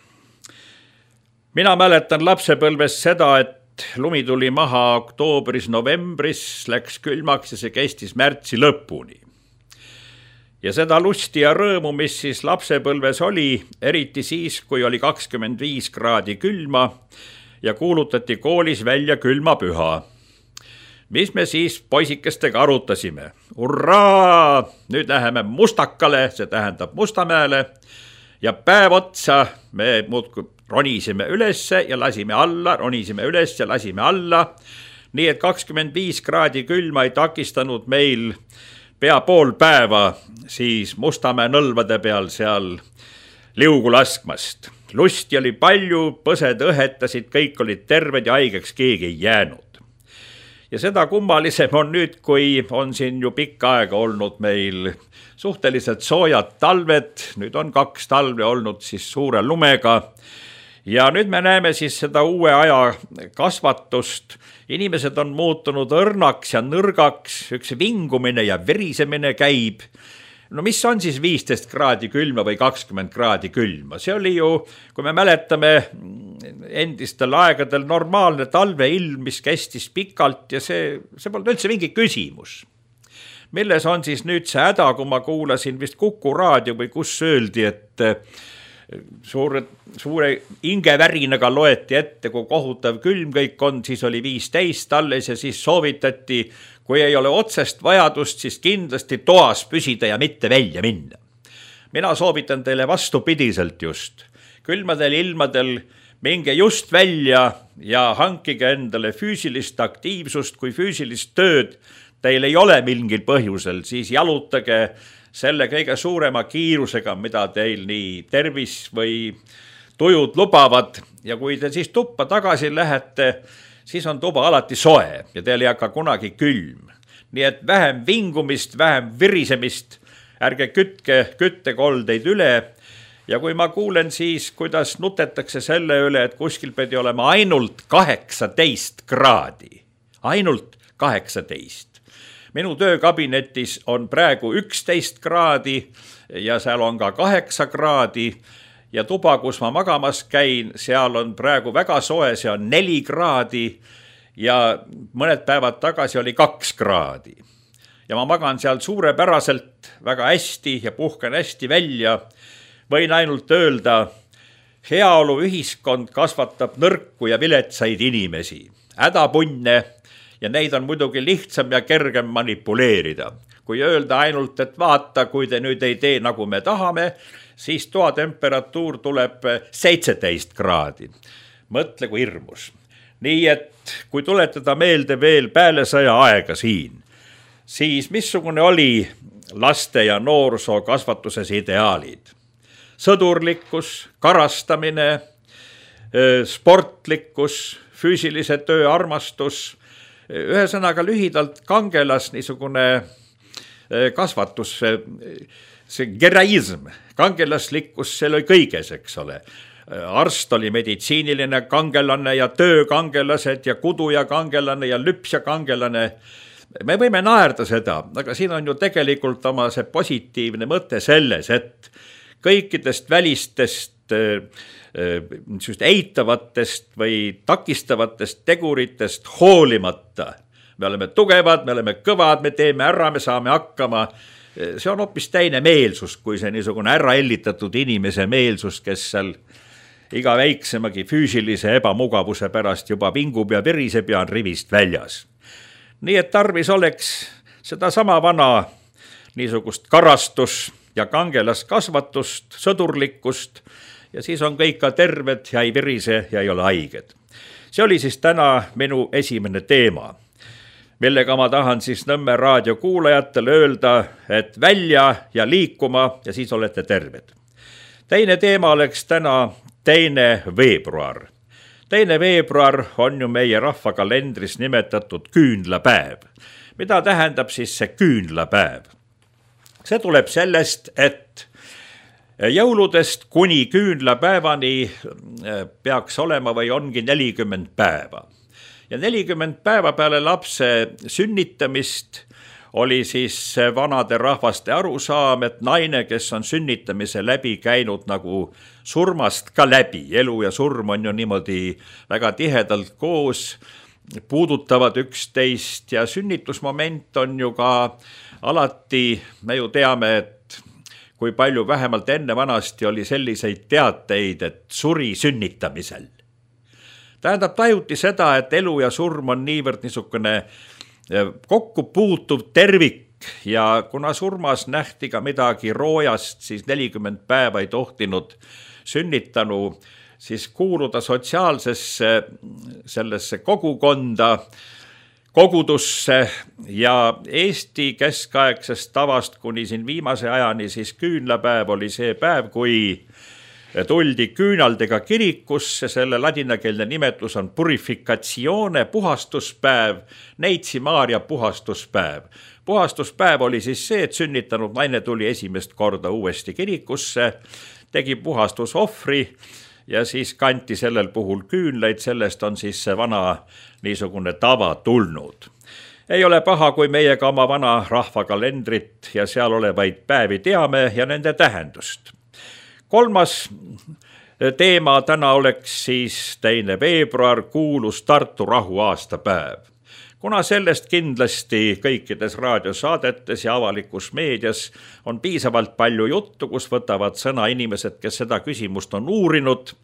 Mina mäletan lapsepõlves seda, et lumi tuli maha oktoobris-novembris, läks külmaks ja see kestis märtsi lõpuni. Ja seda lusti ja rõõmu, mis siis lapsepõlves oli, eriti siis, kui oli kakskümmend viis kraadi külma ja kuulutati koolis välja külmapüha. Mis me siis poisikestega arutasime? Urraa! Nüüd läheme Mustakale, see tähendab Mustamäele, ja päev otsa me muudkui ronisime ülesse ja lasime alla, ronisime üles ja lasime alla, nii et kakskümmend viis kraadi külma ei takistanud meil pea pool päeva siis Mustamäe nõlvade peal seal liugu laskmast. Lusti oli palju, põsed õhetasid, kõik olid terved ja haigeks keegi ei jäänud. Ja seda kummalisem on nüüd, kui on siin ju pikka aega olnud meil suhteliselt soojad talved, nüüd on kaks talve olnud siis suure lumega. Ja nüüd me näeme siis seda uue aja kasvatust. Inimesed on muutunud õrnaks ja nõrgaks, üks vingumine ja verisemine käib. No mis on siis viisteist kraadi külma või kakskümmend kraadi külma? See oli ju, kui me mäletame endistel aegadel normaalne talveilm, mis kestis pikalt ja see, see polnud üldse mingi küsimus. Milles on siis nüüd see häda, kui ma kuulasin vist Kuku raadio või kus öeldi, et Suure, suure ingevärinaga loeti ette, kui kohutav külm kõik on, siis oli viisteist alles ja siis soovitati, kui ei ole otsest vajadust, siis kindlasti toas püsida ja mitte välja minna. Mina soovitan teile vastupidiselt just. Külmadel ilmadel minge just välja ja hankige endale füüsilist aktiivsust, kui füüsilist tööd teil ei ole mingil põhjusel, siis jalutage selle kõige suurema kiirusega, mida teil nii tervis või tujud lubavad. Ja kui te siis tuppa tagasi lähete, siis on tuba alati soe ja teil ei hakka kunagi külm. Nii et vähem vingumist, vähem virisemist, ärge kütke küttekoldeid üle. Ja kui ma kuulen siis, kuidas nutetakse selle üle, et kuskil pidi olema ainult kaheksateist kraadi. Ainult kaheksateist. Minu töökabinetis on praegu üksteist kraadi ja seal on ka kaheksa kraadi ja tuba, kus ma magamas käin, seal on praegu väga soe, see on neli kraadi ja mõned päevad tagasi oli kaks kraadi. Ja ma magan seal suurepäraselt väga hästi ja puhkan hästi välja. Võin ainult öelda heaolu ühiskond kasvatab nõrku ja viletsaid inimesi, hädapunne, ja neid on muidugi lihtsam ja kergem manipuleerida. Kui öelda ainult, et vaata, kui te nüüd ei tee nagu me tahame, siis toatemperatuur tuleb seitseteist kraadi. Mõtle kui hirmus. Nii et kui tuletada meelde veel päälesõja aega siin, siis missugune oli laste ja noorsoo kasvatuses ideaalid? Sõdurlikkus, karastamine, sportlikkus, füüsilise töö armastus, ühesõnaga lühidalt kangelas niisugune kasvatus, see geraism, kangelaslikkus, see oli kõiges, eks ole. Arst oli meditsiiniline kangelane ja töökangelased ja kuduja kangelane ja lüpsja kangelane. Me võime naerda seda, aga siin on ju tegelikult oma see positiivne mõte selles, et kõikidest välistest just eitavatest või takistavatest teguritest hoolimata. Me oleme tugevad, me oleme kõvad, me teeme ära, me saame hakkama. See on hoopis teine meelsus, kui see niisugune ära ellitatud inimese meelsus, kes seal iga väiksemagi füüsilise ebamugavuse pärast juba vingub ja viriseb ja on rivist väljas. Nii et tarvis oleks seda sama vana niisugust karastus ja kangelaskasvatust, sõdurlikkust, ja siis on kõik ka terved ja ei virise ja ei ole haiged. See oli siis täna minu esimene teema, millega ma tahan siis Nõmme raadio kuulajatele öelda, et välja ja liikuma ja siis olete terved. Teine teema oleks täna teine veebruar. Teine veebruar on ju meie rahvakalendris nimetatud küünlapäev. Mida tähendab siis see küünlapäev? See tuleb sellest, et jõuludest kuni küünlapäevani peaks olema või ongi nelikümmend päeva. Ja nelikümmend päeva peale lapse sünnitamist oli siis vanade rahvaste arusaam, et naine, kes on sünnitamise läbi käinud nagu surmast ka läbi, elu ja surm on ju niimoodi väga tihedalt koos, puudutavad üksteist ja sünnitusmoment on ju ka alati, me ju teame, et kui palju vähemalt enne vanasti oli selliseid teateid, et suri sünnitamisel. Tähendab, tajuti seda, et elu ja surm on niivõrd niisugune kokku puutuv tervik ja kuna surmas nähti ka midagi roojast, siis nelikümmend päeva ei tohtinud sünnitanu siis kuuluda sotsiaalsesse sellesse kogukonda, kogudusse ja Eesti keskaegsest tavast kuni siin viimase ajani siis küünlapäev oli see päev, kui tuldi küünaldega kirikusse, selle ladinakeelne nimetus on purificatione, puhastuspäev, Neitsi Maaria puhastuspäev. Puhastuspäev oli siis see, et sünnitanud naine tuli esimest korda uuesti kirikusse, tegi puhastusohvri ja siis kanti sellel puhul küünlaid, sellest on siis see vana niisugune tava tulnud. Ei ole paha, kui meiega oma vana rahvakalendrit ja seal olevaid päevi teame ja nende tähendust. Kolmas teema täna oleks siis teine veebruar, kuulus Tartu rahu aastapäev. Kuna sellest kindlasti kõikides raadiosaadetes ja avalikus meedias on piisavalt palju juttu, kus võtavad sõna inimesed, kes seda küsimust on uurinud,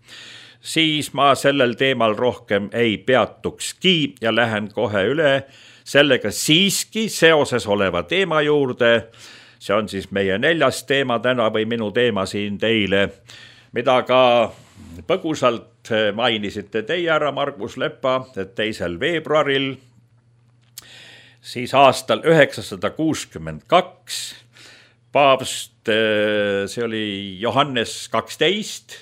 siis ma sellel teemal rohkem ei peatukski ja lähen kohe üle sellega siiski seoses oleva teema juurde. See on siis meie neljas teema täna või minu teema siin teile, mida ka põgusalt mainisite teie ära, Margus Lepa, et teisel veebruaril, siis aastal üheksasada kuuskümmend kaks, paavst, see oli Johannes kaksteist,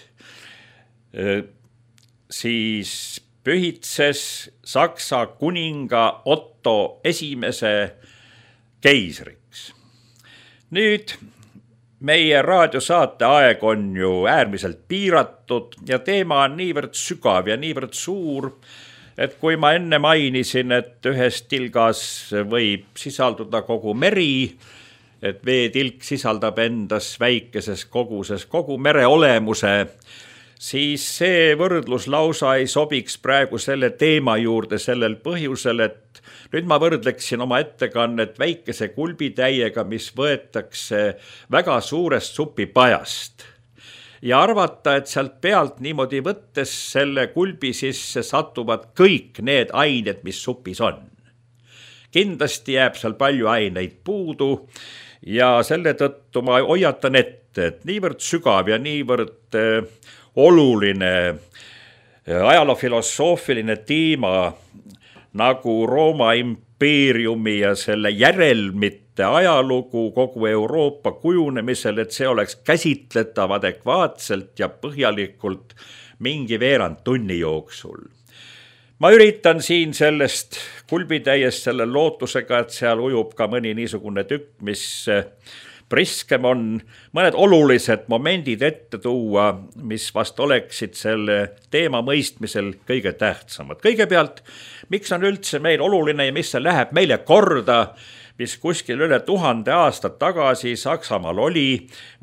siis pühitses Saksa kuninga Otto esimese keisriks. Nüüd meie raadiosaate aeg on ju äärmiselt piiratud ja teema on niivõrd sügav ja niivõrd suur, et kui ma enne mainisin, et ühes tilgas võib sisalduda kogu meri, et veetilk sisaldab endas väikeses koguses kogu mere olemuse, siis see võrdlus lausa ei sobiks praegu selle teema juurde sellel põhjusel, et nüüd ma võrdleksin oma ettekannet väikese kulbitäiega, mis võetakse väga suurest supipajast. ja arvata, et sealt pealt niimoodi võttes selle kulbi sisse satuvad kõik need ained, mis supis on. Kindlasti jääb seal palju aineid puudu ja selle tõttu ma hoiatan ette, et niivõrd sügav ja niivõrd oluline ajaloofilosoofiline teema nagu Rooma impeeriumi ja selle järelmite ajalugu kogu Euroopa kujunemisel, et see oleks käsitletav adekvaatselt ja põhjalikult mingi veerand tunni jooksul. Ma üritan siin sellest kulbitäiest selle lootusega, et seal ujub ka mõni niisugune tükk, mis priskem on, mõned olulised momendid ette tuua, mis vast oleksid selle teema mõistmisel kõige tähtsamad. Kõigepealt, miks on üldse meil oluline ja mis see läheb meile korda, mis kuskil üle tuhande aastat tagasi Saksamaal oli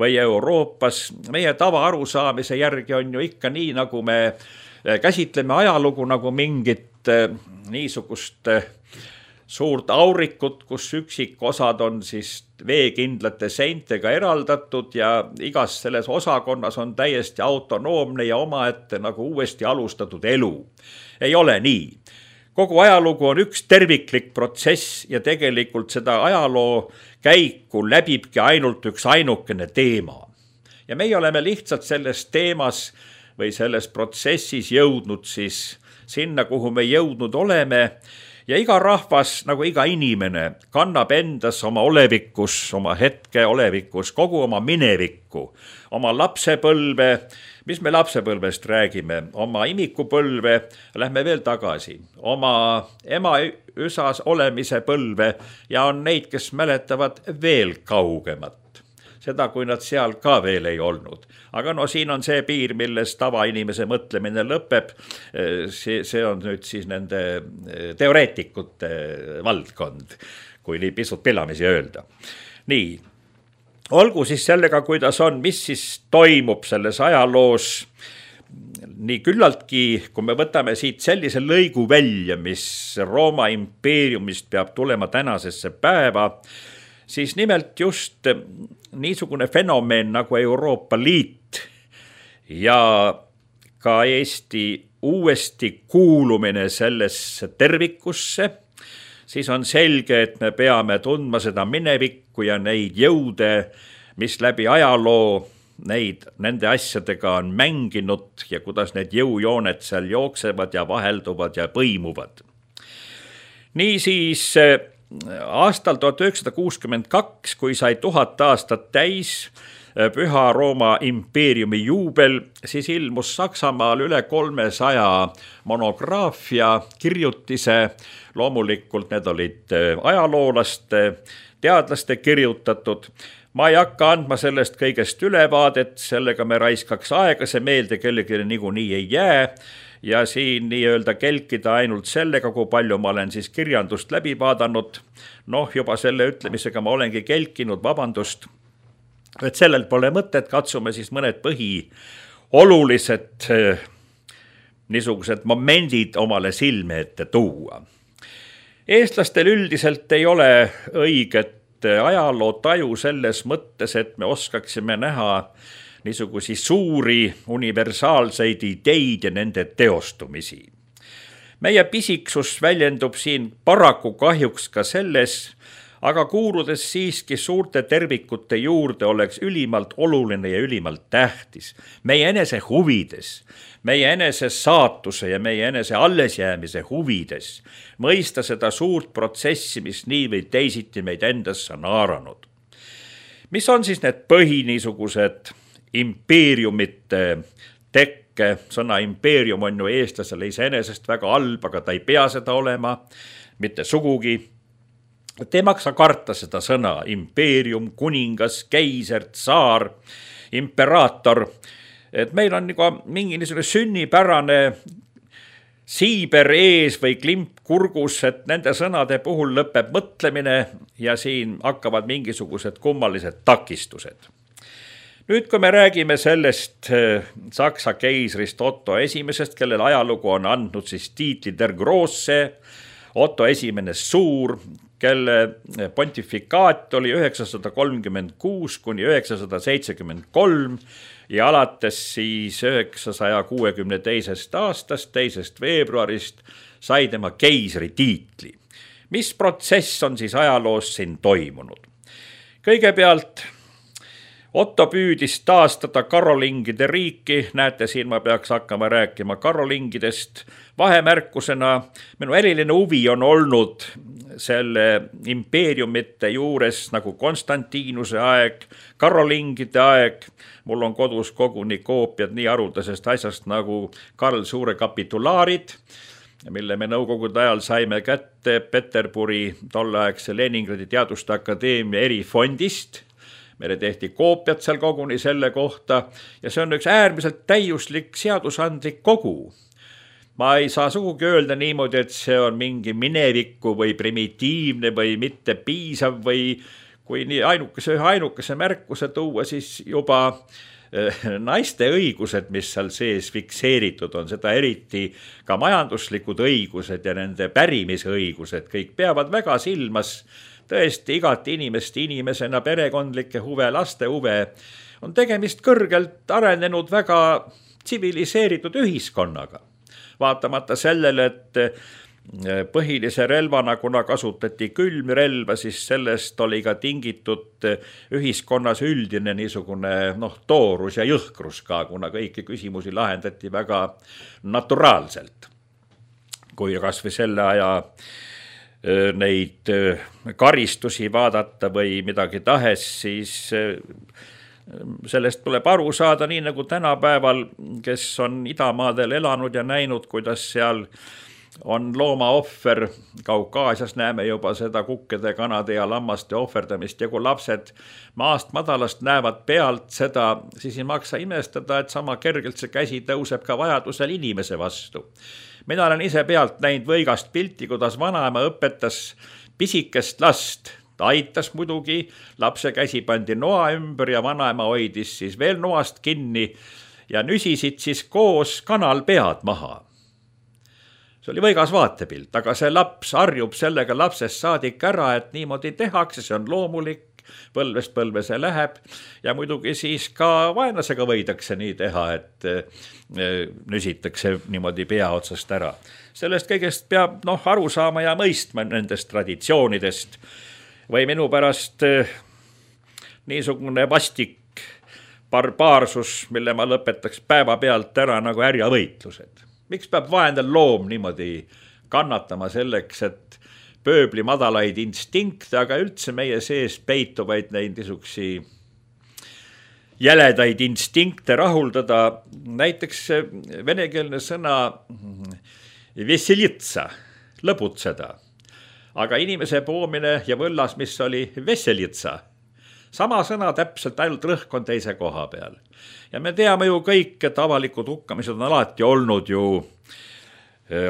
või Euroopas. Meie tava arusaamise järgi on ju ikka nii, nagu me käsitleme ajalugu nagu mingit niisugust suurt aurikut, kus üksikosad on siis veekindlate seintega eraldatud ja igas selles osakonnas on täiesti autonoomne ja omaette nagu uuesti alustatud elu. Ei ole nii. Kogu ajalugu on üks terviklik protsess ja tegelikult seda ajaloo käiku läbibki ainult üks ainukene teema. Ja meie oleme lihtsalt selles teemas või selles protsessis jõudnud siis sinna, kuhu me jõudnud oleme. Ja iga rahvas, nagu iga inimene, kannab endas oma olevikus, oma hetke olevikus, kogu oma minevikku, oma lapsepõlve, mis me lapsepõlvest räägime, oma imikupõlve, lähme veel tagasi, oma ema üsas olemise põlve ja on neid, kes mäletavad veel kaugemat. Seda, kui nad seal ka veel ei olnud. Aga no siin on see piir, milles tavainimese mõtlemine lõpeb. See, see on nüüd siis nende teoreetikute valdkond, kui nii pisut pelamisi öelda. Nii, olgu siis sellega, kuidas on, mis siis toimub selles ajaloos. Nii küllaltki, kui me võtame siit sellise lõigu välja, mis Rooma impeeriumist peab tulema tänasesse päeva, siis nimelt just niisugune fenomen nagu Euroopa Liit ja ka Eesti uuesti kuulumine sellesse tervikusse, siis on selge, et me peame tundma seda minevikku ja neid jõude, mis läbi ajaloo neid, nende asjadega on mänginud ja kuidas need jõujooned seal jooksevad ja vahelduvad ja põimuvad. Niisiis aastal tuhat üheksasada kuuskümmend kaks, kui sai tuhat aastat täis Püha Rooma impeeriumi juubel, siis ilmus Saksamaal üle kolmesaja monograafia kirjutise. Loomulikult need olid ajaloolaste, teadlaste kirjutatud. Ma ei hakka andma sellest kõigest ülevaadet, sellega me raiskaks aega, see meelde kellelegi niikuinii ei jää. Ja siin nii-öelda kelkida ainult sellega, kui palju ma olen siis kirjandust läbi vaadanud. Noh, juba selle ütlemisega ma olengi kelkinud, vabandust. Et sellel pole mõtet, katsume siis mõned põhi olulised niisugused momendid omale silme ette tuua. Eestlastel üldiselt ei ole õiget ajaloo taju selles mõttes, et me oskaksime näha niisugusi suuri universaalseid ideid ja nende teostumisi. Meie pisiksus väljendub siin paraku kahjuks ka selles, aga kuuludes siiski suurte tervikute juurde oleks ülimalt oluline ja ülimalt tähtis. Meie enese huvides, meie enese saatuse ja meie enese allesjäämise huvides mõista seda suurt protsessi, mis nii või teisiti meid endasse on haaranud. Mis on siis need põhi niisugused impeeriumite tekke? Sõna impeerium on ju eestlasele iseenesest väga halb, aga ta ei pea seda olema, mitte sugugi. Te ei maksa karta seda sõna, impeerium, kuningas, keiser, tsaar, imperaator. Et meil on nagu mingi niisugune sünnipärane siiber ees või klimp kurgus, et nende sõnade puhul lõpeb mõtlemine ja siin hakkavad mingisugused kummalised takistused. Nüüd, kui me räägime sellest Saksa keisrist Otto esimesest, kellel ajalugu on andnud siis tiitli Der Grosse, Otto esimene suur, kelle pontifikaat oli üheksasada kolmkümmend kuus kuni üheksasada seitsekümmend kolm ja alates siis üheksasaja kuuekümne teisest aastast, teisest veebruarist sai tema keisri tiitli. Mis protsess on siis ajaloos siin toimunud? Kõigepealt Otto püüdis taastada karolingide riiki, näete, siin ma peaks hakkama rääkima karolingidest. Vahemärkusena minu eriline huvi on olnud selle impeeriumite juures nagu Konstantinuse aeg, karolingide aeg. Mul on kodus koguni koopiad nii haruldasest asjast nagu Karl Suure kapitulaarid, mille me nõukogude ajal saime kätte Peterburi tolleaegse Leningradi Teaduste Akadeemia erifondist. Meile tehti koopiat seal koguni selle kohta ja see on üks äärmiselt täiuslik seadusandlik kogu. Ma ei saa sugugi öelda niimoodi, et see on mingi minevikku või primitiivne või mitte piisav või kui nii ainukese, ühe ainukese märkuse tuua, siis juba naiste õigused, mis seal sees fikseeritud on, seda eriti ka majanduslikud õigused ja nende pärimise õigused, kõik peavad väga silmas tõesti igat inimest inimesena, perekondlikke huve, laste huve. On tegemist kõrgelt arenenud väga tsiviliseeritud ühiskonnaga. Vaatamata sellele, et põhilise relvana, kuna kasutati külmrelva, siis sellest oli ka tingitud ühiskonnas üldine niisugune noh, toorus ja jõhkrus ka, kuna kõiki küsimusi lahendati väga naturaalselt. Kui kas või selle aja neid karistusi vaadata või midagi tahes, siis sellest tuleb aru saada nii nagu tänapäeval, kes on idamaadel elanud ja näinud, kuidas seal on looma ohver. Kaukaasias näeme juba seda kukkede, kanade ja lammaste ohverdamist ja kui lapsed maast madalast näevad pealt seda, siis ei maksa imestada, et sama kergelt see käsi tõuseb ka vajadusel inimese vastu. Mina olen ise pealt näinud võigast pilti, kuidas vanaema õpetas pisikest last. Ta aitas muidugi, lapse käsi pandi noa ümber ja vanaema hoidis siis veel noast kinni ja nüsisid siis koos kanal pead maha. See oli võigas vaatepilt, aga see laps harjub sellega lapsest saadik ära, et niimoodi tehakse, see on loomulik, põlvest põlve see läheb ja muidugi siis ka vaenlasega võidakse nii teha, et nüsitakse niimoodi pea otsast ära. Sellest kõigest peab noh, aru saama ja mõistma nendest traditsioonidest või minu pärast niisugune vastik barbaarsus, mille ma lõpetaks päeva pealt ära nagu härjavõitlused. Miks peab vaendel loom niimoodi kannatama selleks, et pööbli madalaid instinkte, aga üldse meie sees peituvaid neid niisugusi jäledaid instinkte rahuldada. Näiteks venekeelne sõna veselitsa, lõbutseda. Aga inimese poomine ja võllas, mis oli veselitsa. Sama sõna täpselt, ainult rõhk on teise koha peal. Ja me teame ju kõik, et avalikud hukkamised on alati olnud ju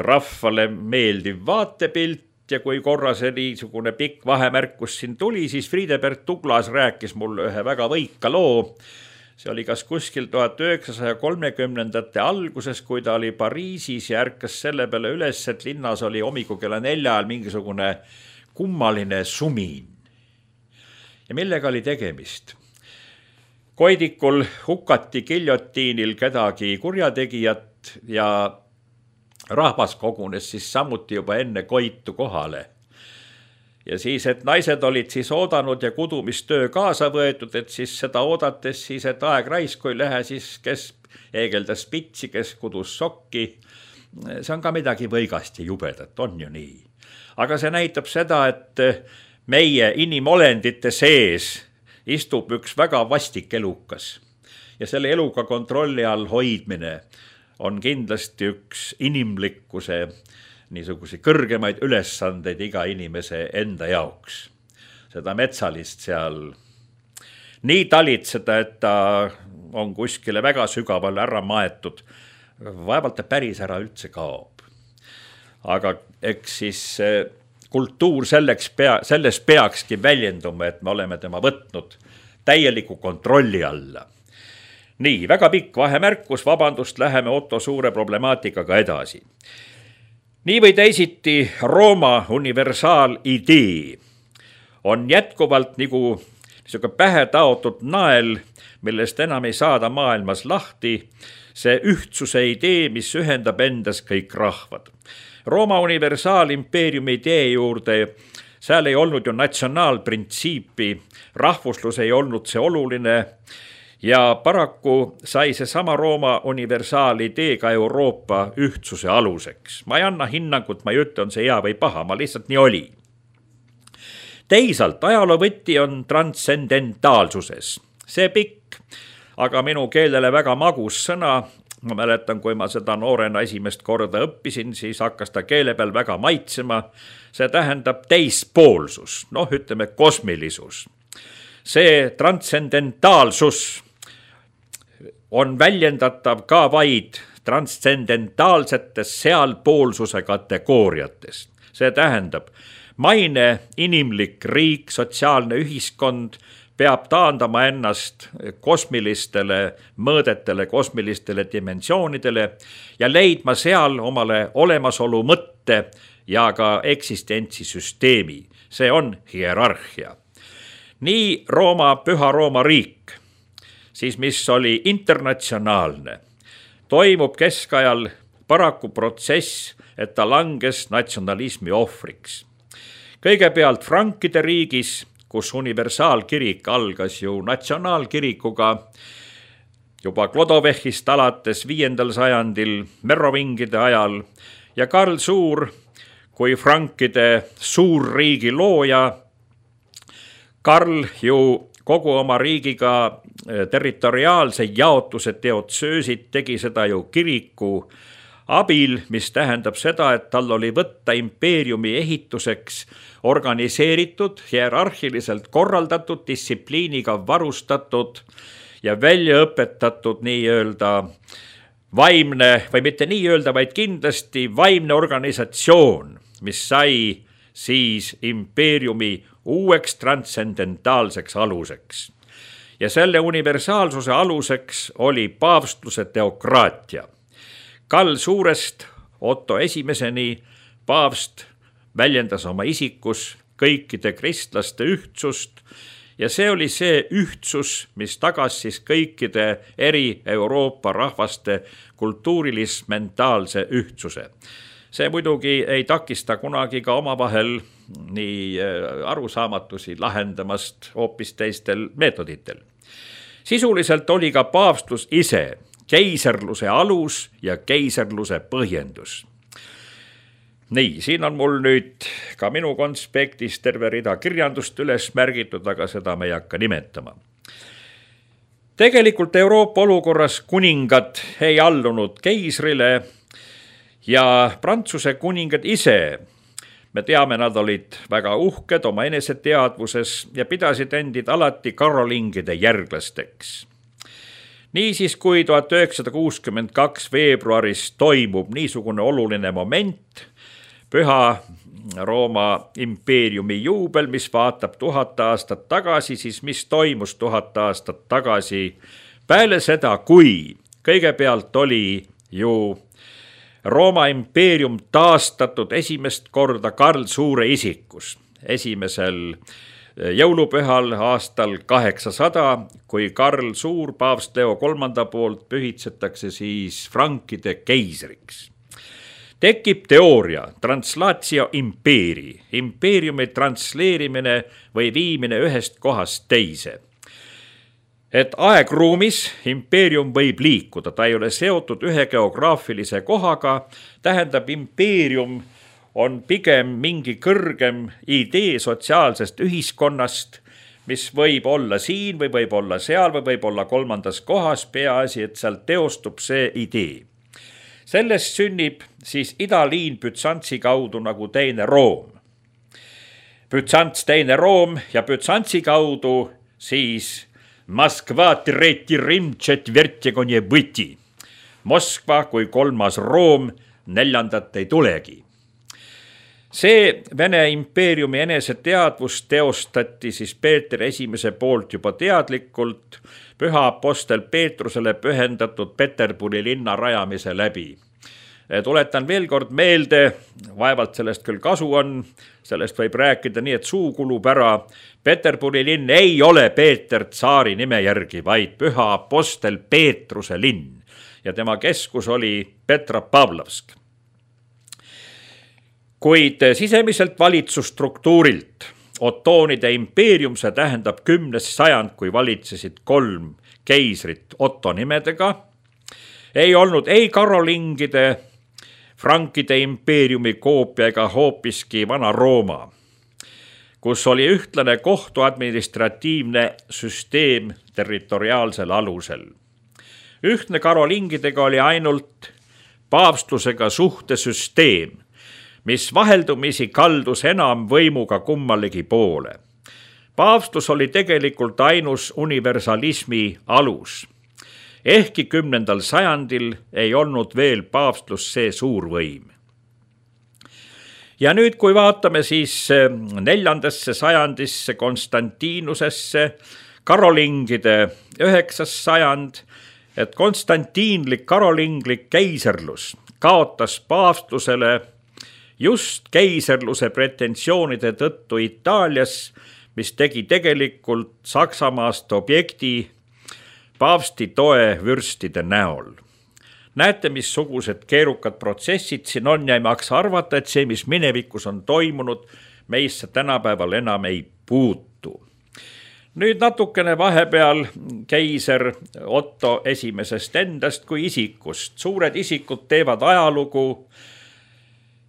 rahvale meeldiv vaatepilt. Ja kui korra see niisugune pikk vahemärkus siin tuli, siis Friedebert Douglas rääkis mulle ühe väga võika loo. See oli kas kuskil tuhat üheksasaja kolmekümnendate alguses, kui ta oli Pariisis ja ärkas selle peale üles, et linnas oli hommikul kella nelja ajal mingisugune kummaline sumin. Ja millega oli tegemist? Koidikul hukati giljotiinil kedagi kurjategijat ja rahvas kogunes siis samuti juba enne koitu kohale. Ja siis, et naised olid siis oodanud ja kudumistöö kaasa võetud, et siis seda oodates siis, et aeg raisku ei lähe, siis kes eegeldas pitsi, kes kudus sokki. See on ka midagi võigast ja jubedat, on ju nii. Aga see näitab seda, et meie inimolendite sees istub üks väga vastik elukas. Ja selle eluka kontrolli all hoidmine on kindlasti üks inimlikkuse niisuguse kõrgemaid ülesandeid iga inimese enda jaoks. Seda metsalist seal nii talitseda, et ta on kuskile väga sügavale ära maetud, vaevalt ta päris ära üldse kaob. Aga eks siis kultuur selleks pea, selles peakski väljenduma, et me oleme tema võtnud täieliku kontrolli alla. Nii, väga pikk vahemärkus, vabandust, läheme Otto Suure problemaatikaga edasi. nii või teisiti Rooma universaalidee on jätkuvalt nagu niisugune pähe taotud nael, millest enam ei saada maailmas lahti, see ühtsuse idee, mis ühendab endas kõik rahvad. Rooma universaalimpeeriumi idee juurde, seal ei olnud ju natsionaalprintsiipi, rahvuslus ei olnud see oluline ja paraku sai see sama Rooma universaalidee ka Euroopa ühtsuse aluseks. Ma ei anna hinnangut, ma ei ütle, on see hea või paha, ma lihtsalt nii oli. Teisalt, ajaloovõti on transcendentaalsuses. See pikk, aga minu keelele väga magus sõna. Ma mäletan, kui ma seda noorena esimest korda õppisin, siis hakkas ta keele peal väga maitsema. See tähendab teispoolsus, noh ütleme kosmilisus. See transcendentaalsus on väljendatav ka vaid transcendentaalsetes sealpoolsuse kategooriates. See tähendab, maine, inimlik riik, sotsiaalne ühiskond peab taandama ennast kosmilistele mõõdetele, kosmilistele dimensioonidele ja leidma seal omale olemasolu mõtte ja ka eksistentsisüsteemi. See on hierarhia. Nii Rooma, Püha Rooma riik, siis mis oli internatsionaalne, toimub keskajal paraku protsess, et ta langes natsionalismi ohvriks. Kõigepealt frankide riigis, kus universaalkirik algas ju natsionaalkirikuga juba Klodovechist alates viiendal sajandil merovingide ajal ja Karl Suur kui frankide suurriigi looja. Karl ju kogu oma riigiga territoriaalse jaotuse teotsöösid tegi seda ju kiriku abil, mis tähendab seda, et tal oli võtta impeeriumi ehituseks organiseeritud, hierarhiliselt korraldatud, distsipliiniga varustatud ja välja õpetatud nii-öelda vaimne, või mitte nii-öelda, vaid kindlasti vaimne organisatsioon, mis sai siis impeeriumi uueks transcendentaalseks aluseks. Ja selle universaalsuse aluseks oli paavstluse teokraatia. Karl Suurest Otto esimeseni paavst väljendas oma isikus kõikide kristlaste ühtsust ja see oli see ühtsus, mis tagas siis kõikide eri Euroopa rahvaste kultuurilis-mentaalse ühtsuse. See muidugi ei takista kunagi ka omavahel nii arusaamatusi lahendamast hoopis teistel meetoditel. Sisuliselt oli ka paavstlus ise keiserluse alus ja keiserluse põhjendus. Nii, siin on mul nüüd ka minu konspektis terve rida kirjandust üles märgitud, aga seda me ei hakka nimetama. Tegelikult Euroopa olukorras kuningad ei allunud keisrile ja Prantsuse kuningad ise, me teame, nad olid väga uhked oma eneseteadvuses ja pidasid endid alati karolingide järglasteks. Niisiis, kui tuhat üheksasada kuuskümmend kaks veebruaris toimub niisugune oluline moment, Püha Rooma impeeriumi juubel, mis vaatab tuhat aastat tagasi, siis mis toimus tuhat aastat tagasi peale seda, kui kõigepealt oli ju Rooma impeerium taastatud esimest korda Karl Suure isikus, esimesel jõulupühal aastal kaheksasada, kui Karl Suur paavst Leo kolmanda poolt pühitsetakse siis frankide keisriks. Tekib teooria, translatio impeeri, impeeriumi transleerimine või viimine ühest kohast teise. Et aegruumis impeerium võib liikuda, ta ei ole seotud ühe geograafilise kohaga, tähendab impeerium on pigem mingi kõrgem idee sotsiaalsest ühiskonnast, mis võib olla siin või võib olla seal või võib olla kolmandas kohas, peaasi, et seal teostub see idee. Sellest sünnib siis idaliin Bütsantsi kaudu nagu teine Room. Bütsants teine Room ja Bütsantsi kaudu siis Moskva tretji Rim tšetvertjegonje võti. Moskva kui kolmas Room, neljandat ei tulegi. See Vene impeeriumi eneseteadvus teostati siis Peeter esimese poolt juba teadlikult Püha apostel Peetrusele pühendatud Peterburi linna rajamise läbi. Tuletan veel kord meelde, vaevalt sellest küll kasu on, sellest võib rääkida nii, et suu kulub ära. Peterburi linn ei ole Peeter Tsaari nime järgi, vaid püha apostel Peetruse linn ja tema keskus oli Petropavlovsk. Kuid sisemiselt valitsusstruktuurilt Ottoonide impeerium, see tähendab kümnes sajand, kui valitsesid kolm keisrit Otto nimedega, ei olnud ei karolingide, frankide impeeriumi koopia ega hoopiski Vana-Rooma, kus oli ühtlane kohtuadministratiivne süsteem territoriaalsel alusel. Ühtne karolingidega oli ainult paavstusega suhtesüsteem, mis vaheldumisi kaldus enam võimuga kummalegi poole. Paavstus oli tegelikult ainus universalismi alus. Ehkki kümnendal sajandil ei olnud veel paavstlus see suur võim. Ja nüüd, kui vaatame siis neljandasse sajandisse Konstantinusesse, karolingide üheksas sajand, et konstantiinlik karolinglik keiserlus kaotas paavstlusele just keiserluse pretensioonide tõttu Itaalias, mis tegi tegelikult Saksamaast objekti paavsti toe vürstide näol. Näete, missugused keerukad protsessid siin on ja ei maksa arvata, et see, mis minevikus on toimunud, meisse tänapäeval enam ei puutu. Nüüd natukene vahepeal keiser Otto esimesest endast kui isikust. Suured isikud teevad ajalugu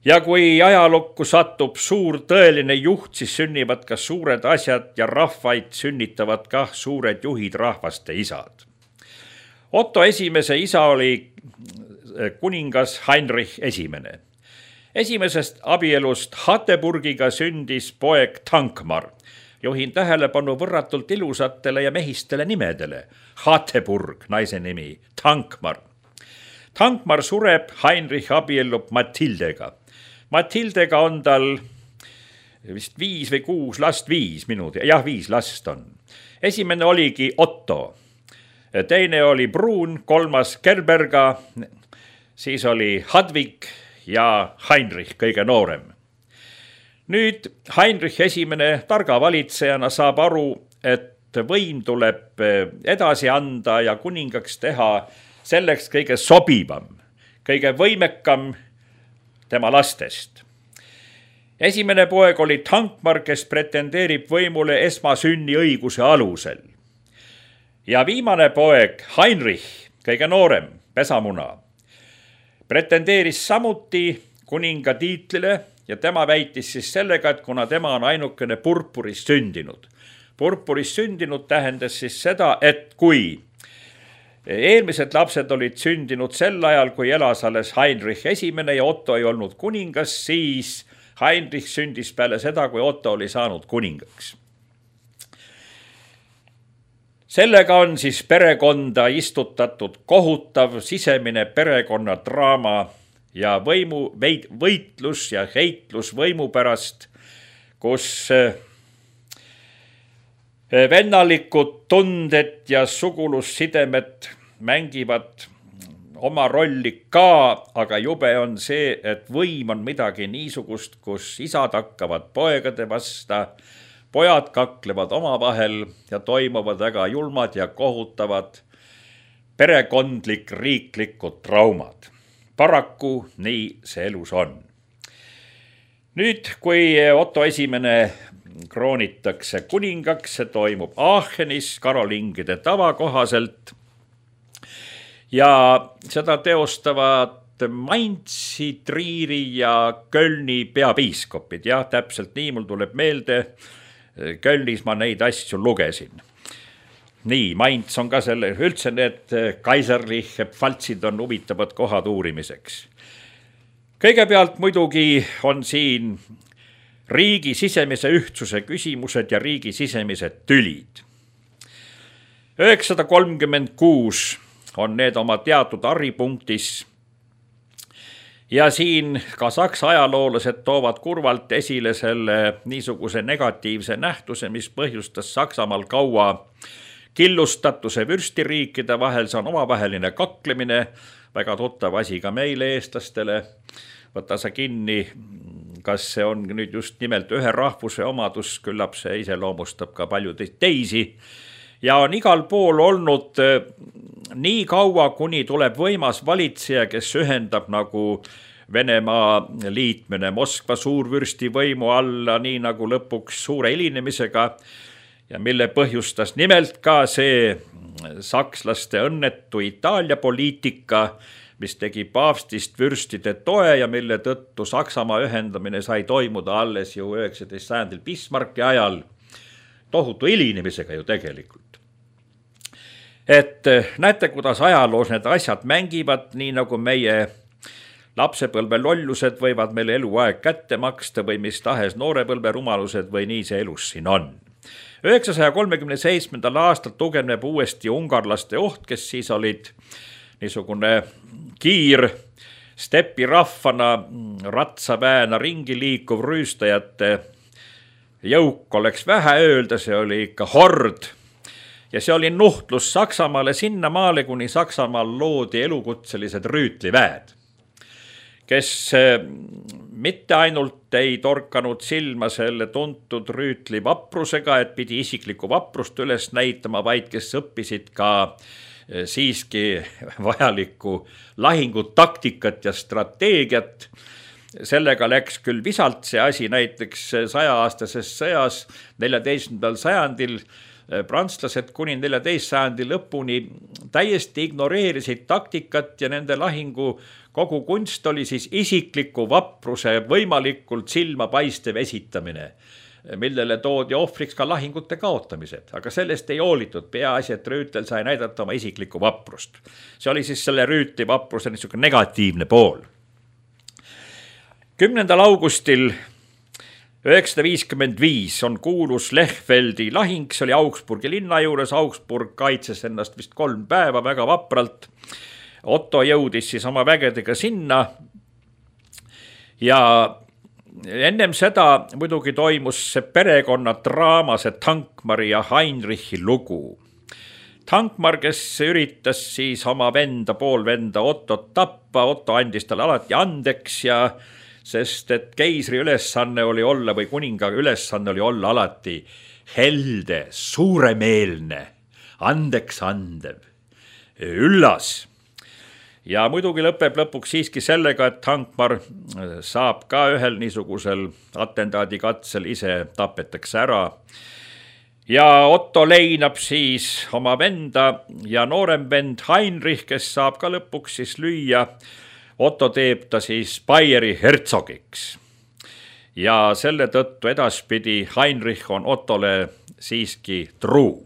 ja kui ajalukku satub suur tõeline juht, siis sünnivad ka suured asjad ja rahvaid sünnitavad ka suured juhid, rahvaste isad. Otto esimese isa oli kuningas Heinrich esimene. Esimesest abielust Hateburgiga sündis poeg Tankmar. Juhin tähelepanu võrratult ilusatele ja mehistele nimedele. Hateburg, naise nimi, Tankmar. Tankmar sureb, Heinrich abiellub Matildega. Matildega on tal vist viis või kuus last, viis minut, jah, viis last on. Esimene oligi Otto, teine oli Bruun, kolmas Gerberga, siis oli Hadvig ja Heinrich, kõige noorem. Nüüd Heinrich esimene targa valitsejana saab aru, et võim tuleb edasi anda ja kuningaks teha selleks kõige sobivam, kõige võimekam tema lastest. Esimene poeg oli Tankmar, kes pretendeerib võimule esmasünni õiguse alusel. Ja viimane poeg Heinrich, kõige noorem, pesamuna, pretendeeris samuti kuninga tiitlile ja tema väitis siis sellega, et kuna tema on ainukene purpuris sündinud. Purpuris sündinud tähendas siis seda, et kui eelmised lapsed olid sündinud sel ajal, kui elas alles Heinrich esimene ja Otto ei olnud kuningas, siis Heinrich sündis peale seda, kui Otto oli saanud kuningaks. Sellega on siis perekonda istutatud kohutav sisemine perekonnadraama ja võimu, võitlus ja heitlus võimu pärast, kus vennalikud tunded ja sugulussidemed mängivad oma rolli ka, aga jube on see, et võim on midagi niisugust, kus isad hakkavad poegade vasta, pojad kaklevad omavahel ja toimuvad väga julmad ja kohutavad perekondlik riiklikud traumad. Paraku nii see elus on. Nüüd, kui Otto esimene kroonitakse kuningaks, see toimub Aachenis karolingide tava kohaselt ja seda teostavad Mainzi, Triiri ja Kölni peapiiskopid. Jah, täpselt nii, mul tuleb meelde, Kölnis ma neid asju lugesin. Nii, Mainz on ka selle, üldse need kaiserliche pfaltsid on huvitavad kohad uurimiseks. Kõigepealt muidugi on siin riigi sisemise ühtsuse küsimused ja riigi sisemised tülid. üheksasada kolmkümmend kuus on need oma teatud arripunktis ja siin ka saksa ajaloolased toovad kurvalt esile selle niisuguse negatiivse nähtuse, mis põhjustas Saksamaal kaua killustatuse vürstiriikide vahel, see on omavaheline kaklemine, väga tuttav asi ka meile eestlastele. Võta sa kinni, kas see on nüüd just nimelt ühe rahvuse omadus, küllap see iseloomustab ka palju teisi. Ja on igal pool olnud nii kaua, kuni tuleb võimas valitseja, kes ühendab nagu Venemaa liitmine Moskva suurvürsti võimu alla, nii nagu lõpuks suure hilinemisega, ja mille põhjustas nimelt ka see sakslaste õnnetu Itaalia poliitika, mis tegi paavstist vürstide toe ja mille tõttu Saksamaa ühendamine sai toimuda alles ju üheksateistkümnendal sajandil Bismarcki ajal, tohutu hilinemisega ju tegelikult. Et näete, kuidas ajaloos need asjad mängivad, nii nagu meie lapsepõlve lollused võivad meile eluaeg kätte maksta või mis tahes noorepõlve rumalused või nii see elus siin on. üheksasaja kolmekümne seitsmendal aastal tugevneb uuesti ungarlaste oht, kes siis olid niisugune kiir stepirahvana, ratsaväena ringi liikuv rüüstajate jõuk oleks vähe öelda, see oli ikka hord. Ja see oli nuhtlus Saksamaale sinnamaale, kuni Saksamaal loodi elukutselised rüütliväed, kes mitte ainult ei torkanud silma selle tuntud rüütli vaprusega, et pidi isiklikku vaprust üles näitama, vaid kes õppisid ka siiski vajalikku lahingutaktikat ja strateegiat. Sellega läks küll visalt see asi näiteks saja-aastases sõjas neljateistkümnendal sajandil. Prantslased kuni neljateistkümnenda sajandi lõpuni täiesti ignoreerisid taktikat ja nende lahingu kogu kunst oli siis isikliku vapruse võimalikult silmapaistev esitamine, millele toodi ohvriks ka lahingute kaotamised, aga sellest ei hoolitud, peaasi, et rüütel sai näidata oma isiklikku vaprust. See oli siis selle rüütli vapruse niisugune negatiivne pool. kümnendal augustil üheksasada viiskümmend viis on kuulus Lechfeldi lahing, see oli Augsburgi linna juures, Augsburg kaitses ennast vist kolm päeva väga vapralt. Otto jõudis siis oma vägedega sinna ja ennem seda muidugi toimus see perekonna draama, see Thankmari ja Heinrichi lugu. Thankmar, kes üritas siis oma venda, poolvenda Ottot tappa, Otto andis talle alati andeks ja sest et keisri ülesanne oli olla või kuninga ülesanne oli olla alati helde, suuremeelne, andeks andev, üllas. Ja muidugi lõpeb lõpuks siiski sellega, et Thankmar saab ka ühel niisugusel atentaadikatsel ise tapetakse ära. Ja Otto leinab siis oma venda ja noorem vend Heinrich, kes saab ka lõpuks siis lüüa. Otto teeb ta siis Baieri hertsogiks. Ja selle tõttu edaspidi Heinrich on Ottole siiski truu.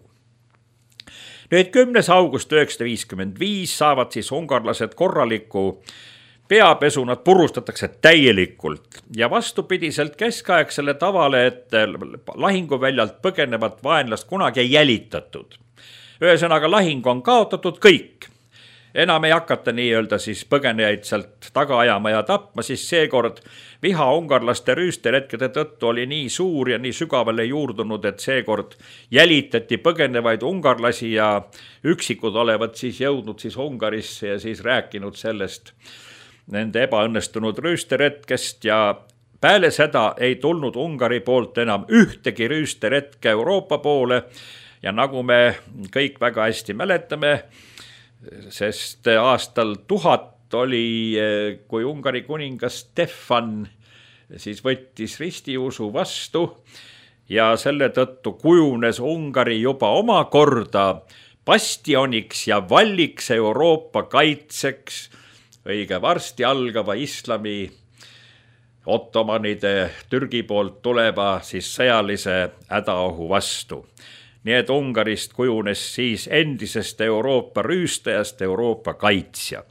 Nüüd kümnes august üheksasada viiskümmend viis saavad siis ungarlased korraliku peapesu, nad purustatakse täielikult ja vastupidiselt keskaegsele tavale, et lahinguväljalt põgenevat vaenlast kunagi ei jälitatud. Ühesõnaga lahing on kaotatud kõik. Enam ei hakata nii-öelda siis põgenejaid sealt taga ajama ja tapma, siis seekord viha ungarlaste rüüsteretkede tõttu oli nii suur ja nii sügavale juurdunud, et seekord jälitati põgenevaid ungarlasi ja üksikud olevat siis jõudnud siis Ungarisse ja siis rääkinud sellest nende ebaõnnestunud rüüsteretkest ja peale seda ei tulnud Ungari poolt enam ühtegi rüüsteretke Euroopa poole ja nagu me kõik väga hästi mäletame, sest aastal tuhat oli, kui Ungari kuningas Stefan siis võttis ristiusu vastu ja selle tõttu kujunes Ungari juba omakorda bastioniks ja valliks Euroopa kaitseks õige varsti algava islami ottomanide Türgi poolt tuleva siis sõjalise hädaohu vastu. Nii et Ungarist kujunes siis endisest Euroopa rüüstajast Euroopa kaitsja.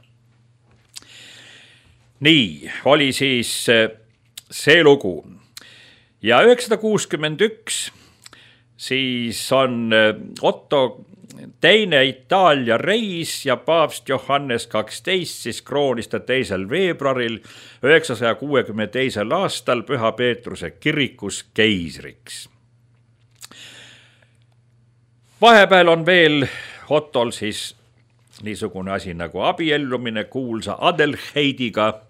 Nii, oli siis see lugu. Ja üheksasada kuuskümmend üks siis on Otto teine Itaalia reis ja paavst Johannes kaksteist siis kroonis ta teisel veebruaril üheksasaja kuuekümne teisel aastal Püha Peetruse kirikus keisriks. Vahepeal on veel Ottol siis niisugune asi nagu abiellumine kuulsa Adelheidiga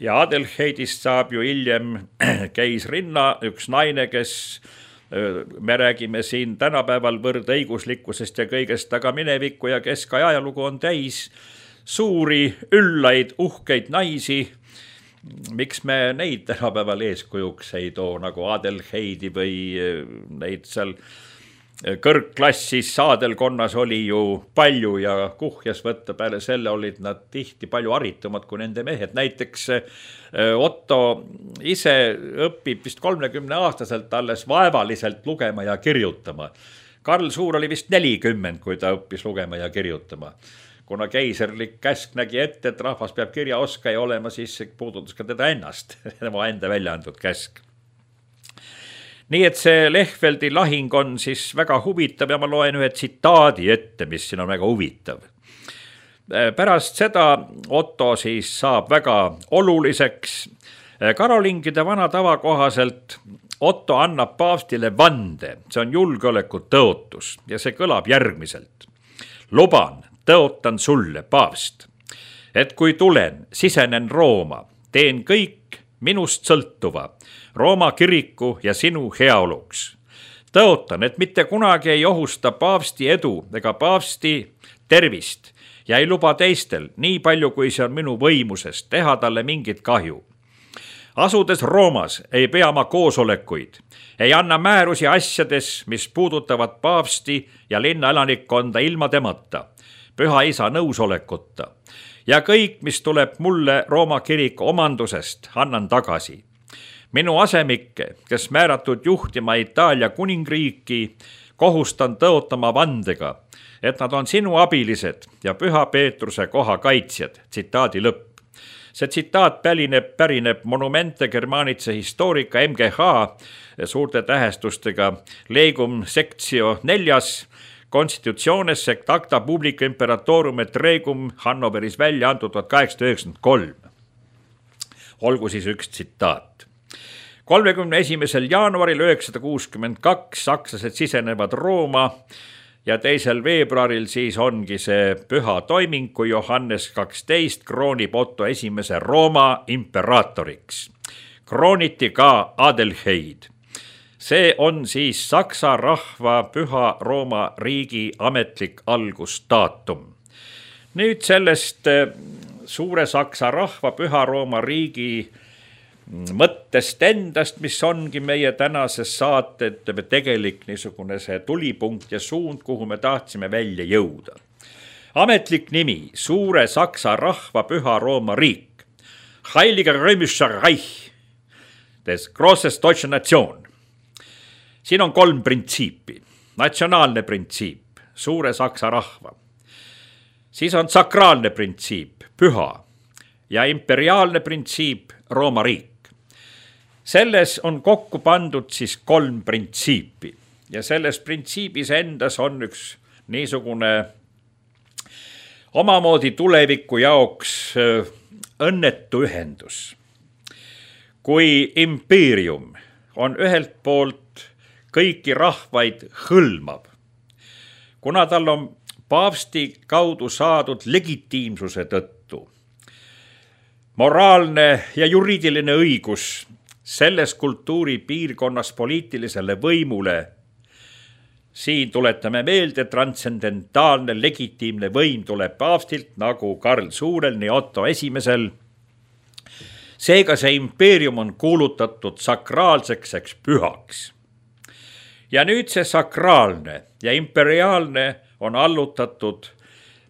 ja Adelheidist saab ju hiljem keisrinna, üks naine, kes me räägime siin tänapäeval võrdõiguslikkusest ja kõigest, aga minevikku ja keskajalugu on täis suuri, üllaid, uhkeid naisi. Miks me neid tänapäeval eeskujuks ei too nagu Adelheidi või neid seal kõrgklassis saadelkonnas oli ju palju ja kuhjas võtta, peale selle olid nad tihti palju haritumad kui nende mehed. Näiteks Otto ise õpib vist kolmekümne aastaselt alles vaevaliselt lugema ja kirjutama. Karl Suur oli vist nelikümmend, kui ta õppis lugema ja kirjutama. Kuna keiserlik käsk nägi ette, et rahvas peab kirjaoskaja olema, siis puudutas ka teda ennast, tema enda välja antud käsk. Nii et see Lehveldi lahing on siis väga huvitav ja ma loen ühe tsitaadi ette, mis siin on väga huvitav. Pärast seda Otto siis saab väga oluliseks. Karolingide vana tava kohaselt Otto annab paavstile vande, see on julgeoleku tõotus ja see kõlab järgmiselt. Luban, tõotan sulle, paavst, et kui tulen, sisenen Rooma, teen kõik minust sõltuva Rooma kiriku ja sinu heaoluks. Tõotan, et mitte kunagi ei ohusta paavsti edu ega paavsti tervist ja ei luba teistel, nii palju kui see on minu võimuses, teha talle mingit kahju. Asudes Roomas ei pea ma koosolekuid, ei anna määrusi asjades, mis puudutavad paavsti ja linna elanikkonda ilma temata, püha isa nõusolekuta ja kõik, mis tuleb mulle Rooma kiriku omandusest, annan tagasi. Minu asemikke, kes määratud juhtima Itaalia kuningriiki, kohustan tõotama vandega, et nad on sinu abilised ja püha Peetruse koha kaitsjad, tsitaadi lõpp. See tsitaat pärineb, pärineb Monumente Germanice Historica M G H suurte tähestustega Legum Sectio neljas, Constitutiones sect acta publica imperatorum et regum Hannoveris välja antud tuhat kaheksasada üheksakümmend kolm. Olgu siis üks tsitaat. kolmekümne esimesel jaanuaril üheksasada kuuskümmend kaks sakslased sisenevad Rooma ja teisel veebruaril siis ongi see püha toiming, kui Johannes kaksteist kroonib Otto esimese Rooma imperaatoriks. Krooniti ka Adelheid. See on siis Saksa rahva püha Rooma riigi ametlik algusdaatum. Nüüd sellest suure Saksa rahva püha Rooma riigi mõttest endast, mis ongi meie tänases saate tegelik niisugune see tulipunkt ja suund, kuhu me tahtsime välja jõuda. Ametlik nimi, suure Saksa rahva püha Rooma riik, Heiliger Römischer Reich, des Grosses Deutsche Nation. Siin on kolm printsiipi. Natsionaalne printsiip, suure Saksa rahva. Siis on sakraalne printsiip, püha, ja imperiaalne printsiip, Rooma riik. Selles on kokku pandud siis kolm printsiipi ja selles printsiibis endas on üks niisugune omamoodi tuleviku jaoks õnnetu ühendus. Kui impeerium on ühelt poolt kõiki rahvaid hõlmav, kuna tal on paavsti kaudu saadud legitiimsuse tõttu, moraalne ja juriidiline õigus selles kultuuri piirkonnas poliitilisele võimule, siin tuletame meelde, transcendentaalne legitiimne võim tuleb paavstilt nagu Karl Suurel, nii Otto esimesel. Seega see impeerium on kuulutatud sakraalseks eks pühaks. Ja nüüd see sakraalne ja imperiaalne on allutatud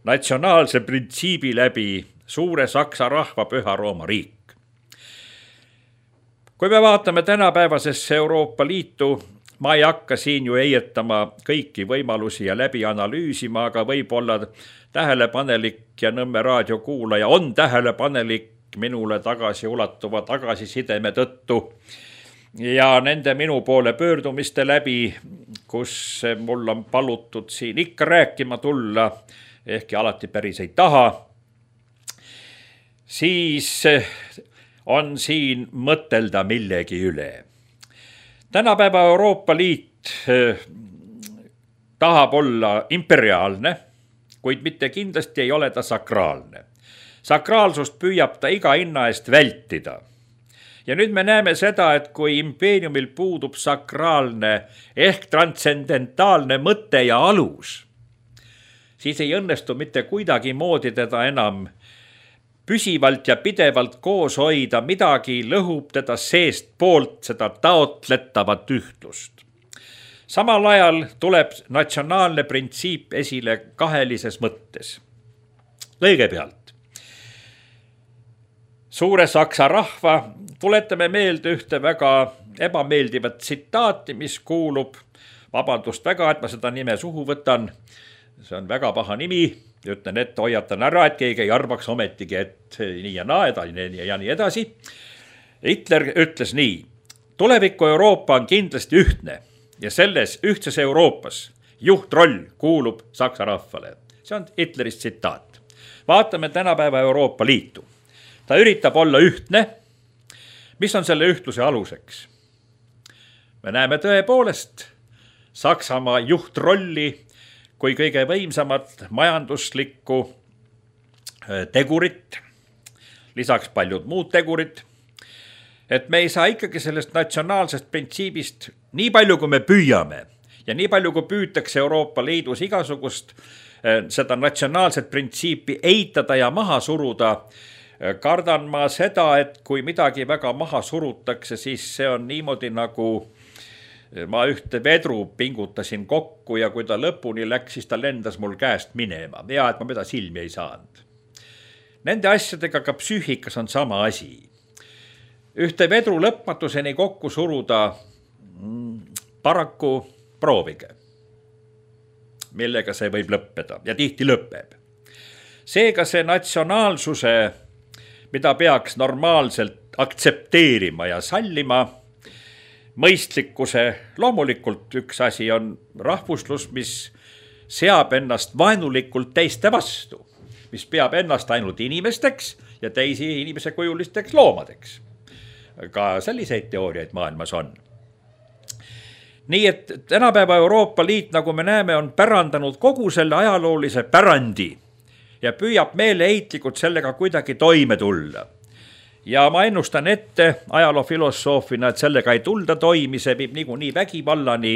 natsionaalse printsiibi läbi suure Saksa rahva püha Rooma riik. Kui me vaatame tänapäevasesse Euroopa Liitu, ma ei hakka siin ju eietama kõiki võimalusi ja läbi analüüsima, aga võib-olla tähelepanelik ja Nõmme raadio kuulaja on tähelepanelik minule tagasi ulatuva tagasisideme tõttu ja nende minu poole pöördumiste läbi, kus mul on palutud siin ikka rääkima tulla, ehkki alati päris ei taha, siis on siin mõtelda millegi üle. Tänapäeva Euroopa Liit tahab olla imperiaalne, kuid mitte kindlasti ei ole ta sakraalne. Sakraalsust püüab ta iga hinna eest vältida. Ja nüüd me näeme seda, et kui impeeriumil puudub sakraalne ehk transcendentaalne mõte ja alus, siis ei õnnestu mitte kuidagi moodi teda enam püsivalt ja pidevalt koos hoida, midagi lõhub teda seest poolt seda taotletavat ühtlust. Samal ajal tuleb natsionaalne printsiip esile kahelises mõttes. Kõigepealt, suure saksa rahva tuletame meelde ühte väga ebameeldivat tsitaati, mis kuulub, vabandust väga, et ma seda nime suhu võtan, see on väga paha nimi, ütlen ette, hoiatan ära, et keegi ei arvaks ometigi, et nii ja naa ja nii edasi. Hitler ütles nii, tuleviku Euroopa on kindlasti ühtne ja selles ühtses Euroopas juhtroll kuulub saksa rahvale. See on Hitlerist tsitaat. Vaatame tänapäeva Euroopa Liitu. Ta üritab olla ühtne. Mis on selle ühtluse aluseks? Me näeme tõepoolest Saksamaa juhtrolli kui kõige võimsamat majanduslikku tegurit, lisaks paljud muud tegurid, et me ei saa ikkagi sellest natsionaalsest printsiibist nii palju, kui me püüame ja nii palju, kui püütakse Euroopa Liidus igasugust seda natsionaalset printsiipi eitada ja maha suruda, kardan ma seda, et kui midagi väga maha surutakse, siis see on niimoodi nagu ma ühte vedru pingutasin kokku ja kui ta lõpuni läks, siis ta lendas mul käest minema. Ja, et ma mida silmi ei saanud. Nende asjadega ka psüühikas on sama asi. Ühte vedru lõpmatuseni kokku suruda paraku proovige, millega see võib lõppeda ja tihti lõpeb. Seega see natsionaalsuse, mida peaks normaalselt aktsepteerima ja sallima, mõistlikkuse, loomulikult üks asi on rahvuslus, mis seab ennast vaenulikult teiste vastu, mis peab ennast ainult inimesteks ja teisi inimese kujulisteks loomadeks. Ka selliseid teooriaid maailmas on. Nii et tänapäeva Euroopa Liit, nagu me näeme, on pärandanud kogu selle ajaloolise pärandi ja püüab meeleheitlikult sellega kuidagi toime tulla. Ja ma ennustan ette ajaloofilosoofina, et sellega ei tulda toimi, see viib niikuinii vägivallani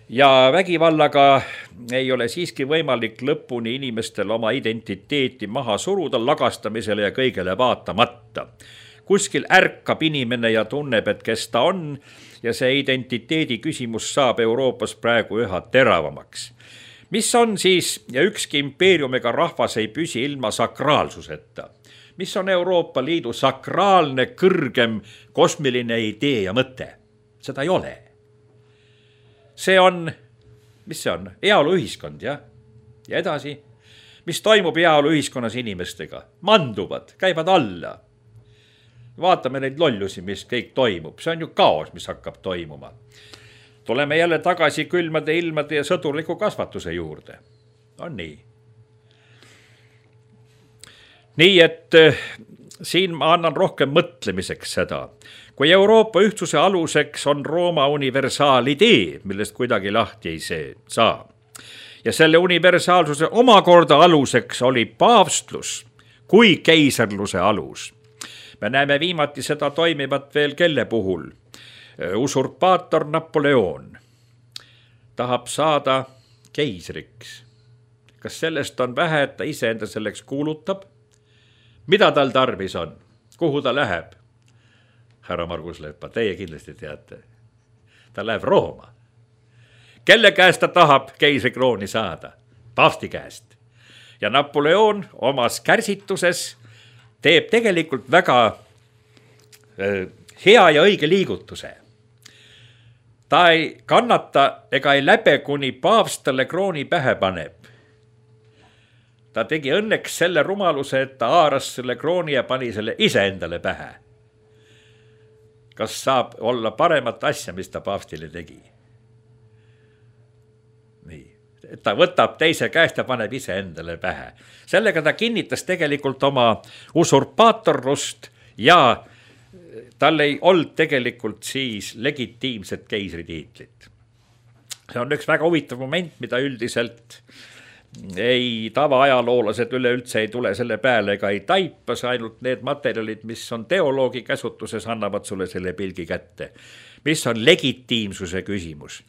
ja vägivallaga ei ole siiski võimalik lõpuni inimestel oma identiteeti maha suruda lagastamisele ja kõigele vaatamata. Kuskil ärkab inimene ja tunneb, et kes ta on ja see identiteedi küsimus saab Euroopas praegu üha teravamaks. Mis on siis, ja ükski impeeriumiga rahvas ei püsi ilma sakraalsuseta. Mis on Euroopa Liidu sakraalne, kõrgem, kosmiline idee ja mõte? Seda ei ole. See on, mis see on? Heaoluühiskond, jah? Ja edasi, mis toimub heaoluühiskonnas inimestega? Manduvad, käivad alla. Vaatame neid lollusi, mis kõik toimub. See on ju kaos, mis hakkab toimuma. Tuleme jälle tagasi külmade ilmade ja sõdurliku kasvatuse juurde. On nii. Nii, et siin ma annan rohkem mõtlemiseks seda. Kui Euroopa ühtsuse aluseks on Rooma universaalidee, millest kuidagi lahti ei saa. Ja selle universaalsuse omakorda aluseks oli paavstlus kui keisarluse alus. Me näeme viimati seda toimivat veel kelle puhul. Usurpaator Napoleon tahab saada keisriks. Kas sellest on vähe, et ta iseenda selleks kuulutab? Mida tal tarvis on? Kuhu ta läheb? Härra Margus Leppa, teie kindlasti teate. Ta läheb Rooma. Kelle käest ta tahab keisrikrooni saada? Paavsti käest. Ja Napoleon omas kärsituses teeb tegelikult väga hea ja õige liigutuse. Ta ei kannata ega ei läbe, kuni paavst talle krooni pähe paneb. Ta tegi õnneks selle rumaluse, et ta haaras selle krooni ja pani selle ise endale pähe. Kas saab olla paremat asja, mis ta paavstile tegi? Nii. Ta võtab teise käest ja paneb ise endale pähe. Sellega ta kinnitas tegelikult oma usurpaatorlust ja tal ei olnud tegelikult siis legitiimset keisritiitlit. See on üks väga huvitav moment, mida üldiselt ei tavaajaloolased üleüldse ei tule selle peale ega ei taipas, ainult need materjalid, mis on teoloogi käsutuses, annavad sulle selle pilgi kätte. Mis on legitiimsuse küsimus.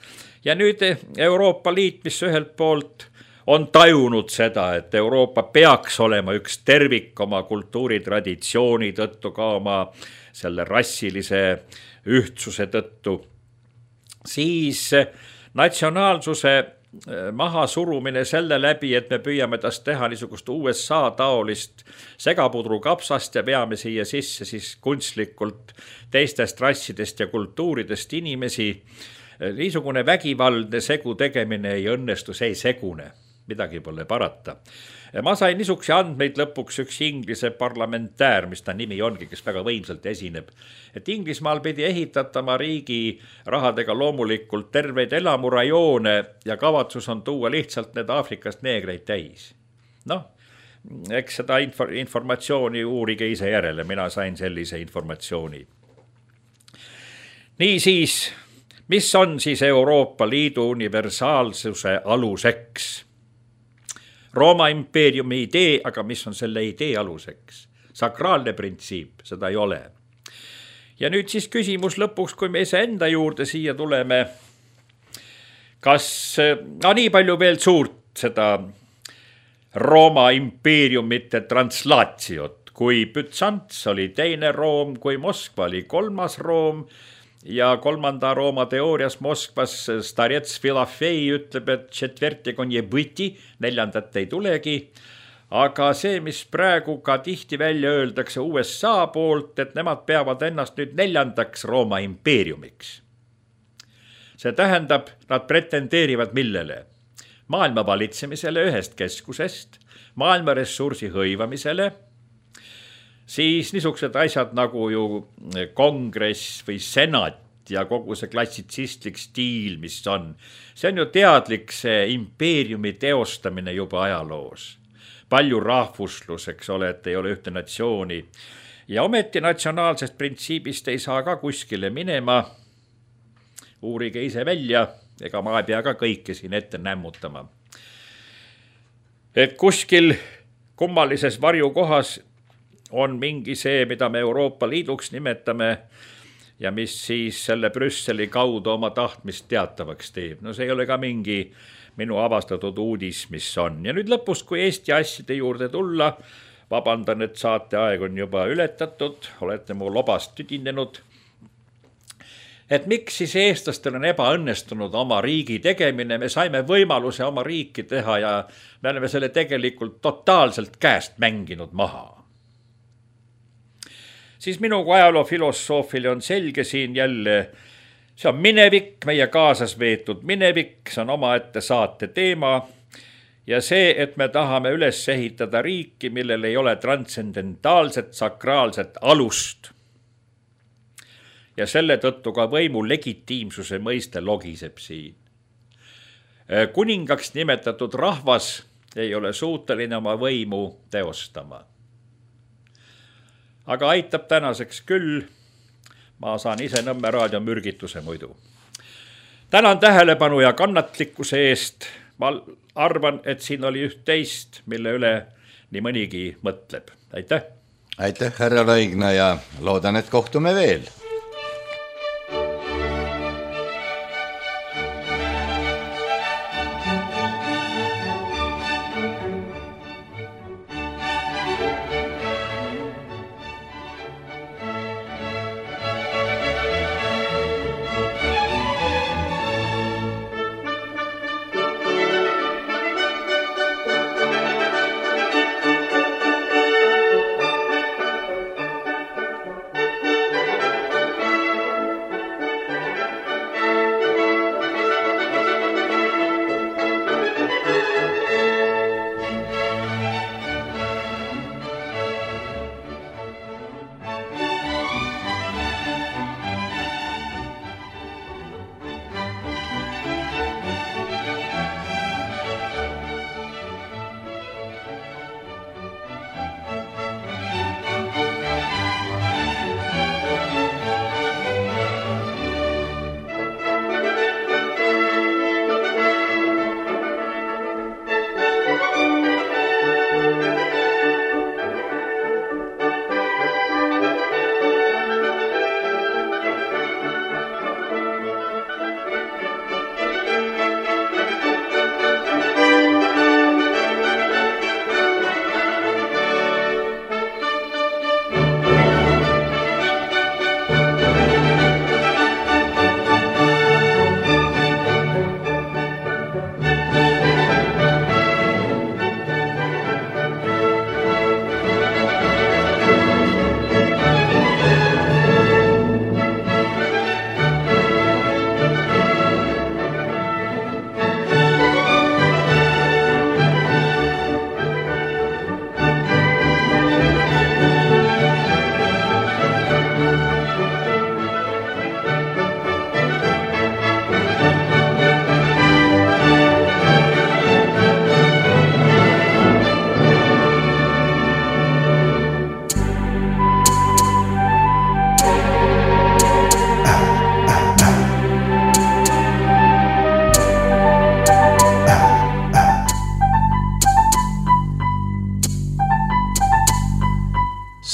Ja nüüd Euroopa Liit, mis ühelt poolt on tajunud seda, et Euroopa peaks olema üks tervik oma kultuuritraditsiooni tõttu, ka oma selle rassilise ühtsuse tõttu, siis natsionaalsuse maha surumine selle läbi, et me püüame tast teha niisugust U S A taolist segapudru kapsast ja veame siia sisse siis kunstlikult teistest rassidest ja kultuuridest inimesi. Niisugune vägivaldne segu tegemine ei õnnestu, see ei segune, midagi pole parata. Ma sain niisuguse andmeid lõpuks üks Inglise parlamentäär, mis ta nimi ongi, kes väga võimsalt esineb, et Inglismaal pidi ehitatama riigi rahadega loomulikult terveid elamurajoone ja kavatsus on tuua lihtsalt need Aafrikast neegreid täis. Noh, eks seda infor- informatsiooni uurige ise järele, mina sain sellise informatsiooni. Nii siis, mis on siis Euroopa Liidu universaalsuse aluseks? Rooma impeeriumi idee, aga mis on selle idee aluseks? Sakraalne printsiip, seda ei ole. Ja nüüd siis küsimus lõpuks, kui me ise enda juurde siia tuleme, kas no, nii palju veel suurt seda Rooma impeeriumite translatsiot, kui Bütsants oli teine Room, kui Moskva oli kolmas Room, ja kolmanda Rooma teoorias Moskvas Starets Filofei ütleb, et četvertega on jebõti, neljandat ei tulegi, aga see, mis praegu ka tihti välja öeldakse U S A poolt, et nemad peavad ennast nüüd neljandaks Rooma impeeriumiks. See tähendab, nad pretendeerivad millele? Maailma valitsemisele ühest keskusest, maailma ressursi hõivamisele, siis niisugused asjad nagu ju kongress või senat ja kogu see klassitsistlik stiil, mis on. See on ju teadlik see impeeriumi teostamine juba ajaloos. Palju rahvuslus, eks ole, et ei ole ühte natsiooni. Ja ometi natsionaalsest printsiibist ei saa ka kuskile minema. Uurige ise välja, ega ma ei pea ka kõike siin ette nämmutama. Et kuskil kummalises varjukohas on mingi see, mida me Euroopa Liiduks nimetame ja mis siis selle Brüsseli kaudu oma tahtmist teatavaks teeb. No see ei ole ka mingi minu avastatud uudis, mis on. Ja nüüd lõpus, kui Eesti asjade juurde tulla, vabandan, et saate aeg on juba ületatud, olete mu lobast tüdinenud. Et miks siis eestlastel on ebaõnnestunud oma riigi tegemine, me saime võimaluse oma riiki teha ja me oleme selle tegelikult totaalselt käest mänginud maha. Siis minu kui ajaloofilosoofil on selge siin jälle, see on minevik, meie kaasas veetud minevik, see on omaette saate teema ja see, et me tahame üles ehitada riiki, millel ei ole transcendentaalset, sakraalset alust. Ja selle tõttu ka võimu legitiimsuse mõiste logiseb siin. Kuningaks nimetatud rahvas ei ole suuteline oma võimu teostama. Aga aitab tänaseks küll, ma saan ise Nõmme raadio mürgituse muidu. Tänan tähelepanu ja kannatlikkuse eest, ma arvan, et siin oli üht teist, mille üle nii mõnigi mõtleb. Aitäh! Aitäh, härra Laigna ja loodan, et kohtume veel!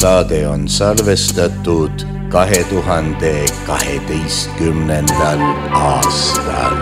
saade on salvestatud kahe tuhande kaheteistkümnendal aastal.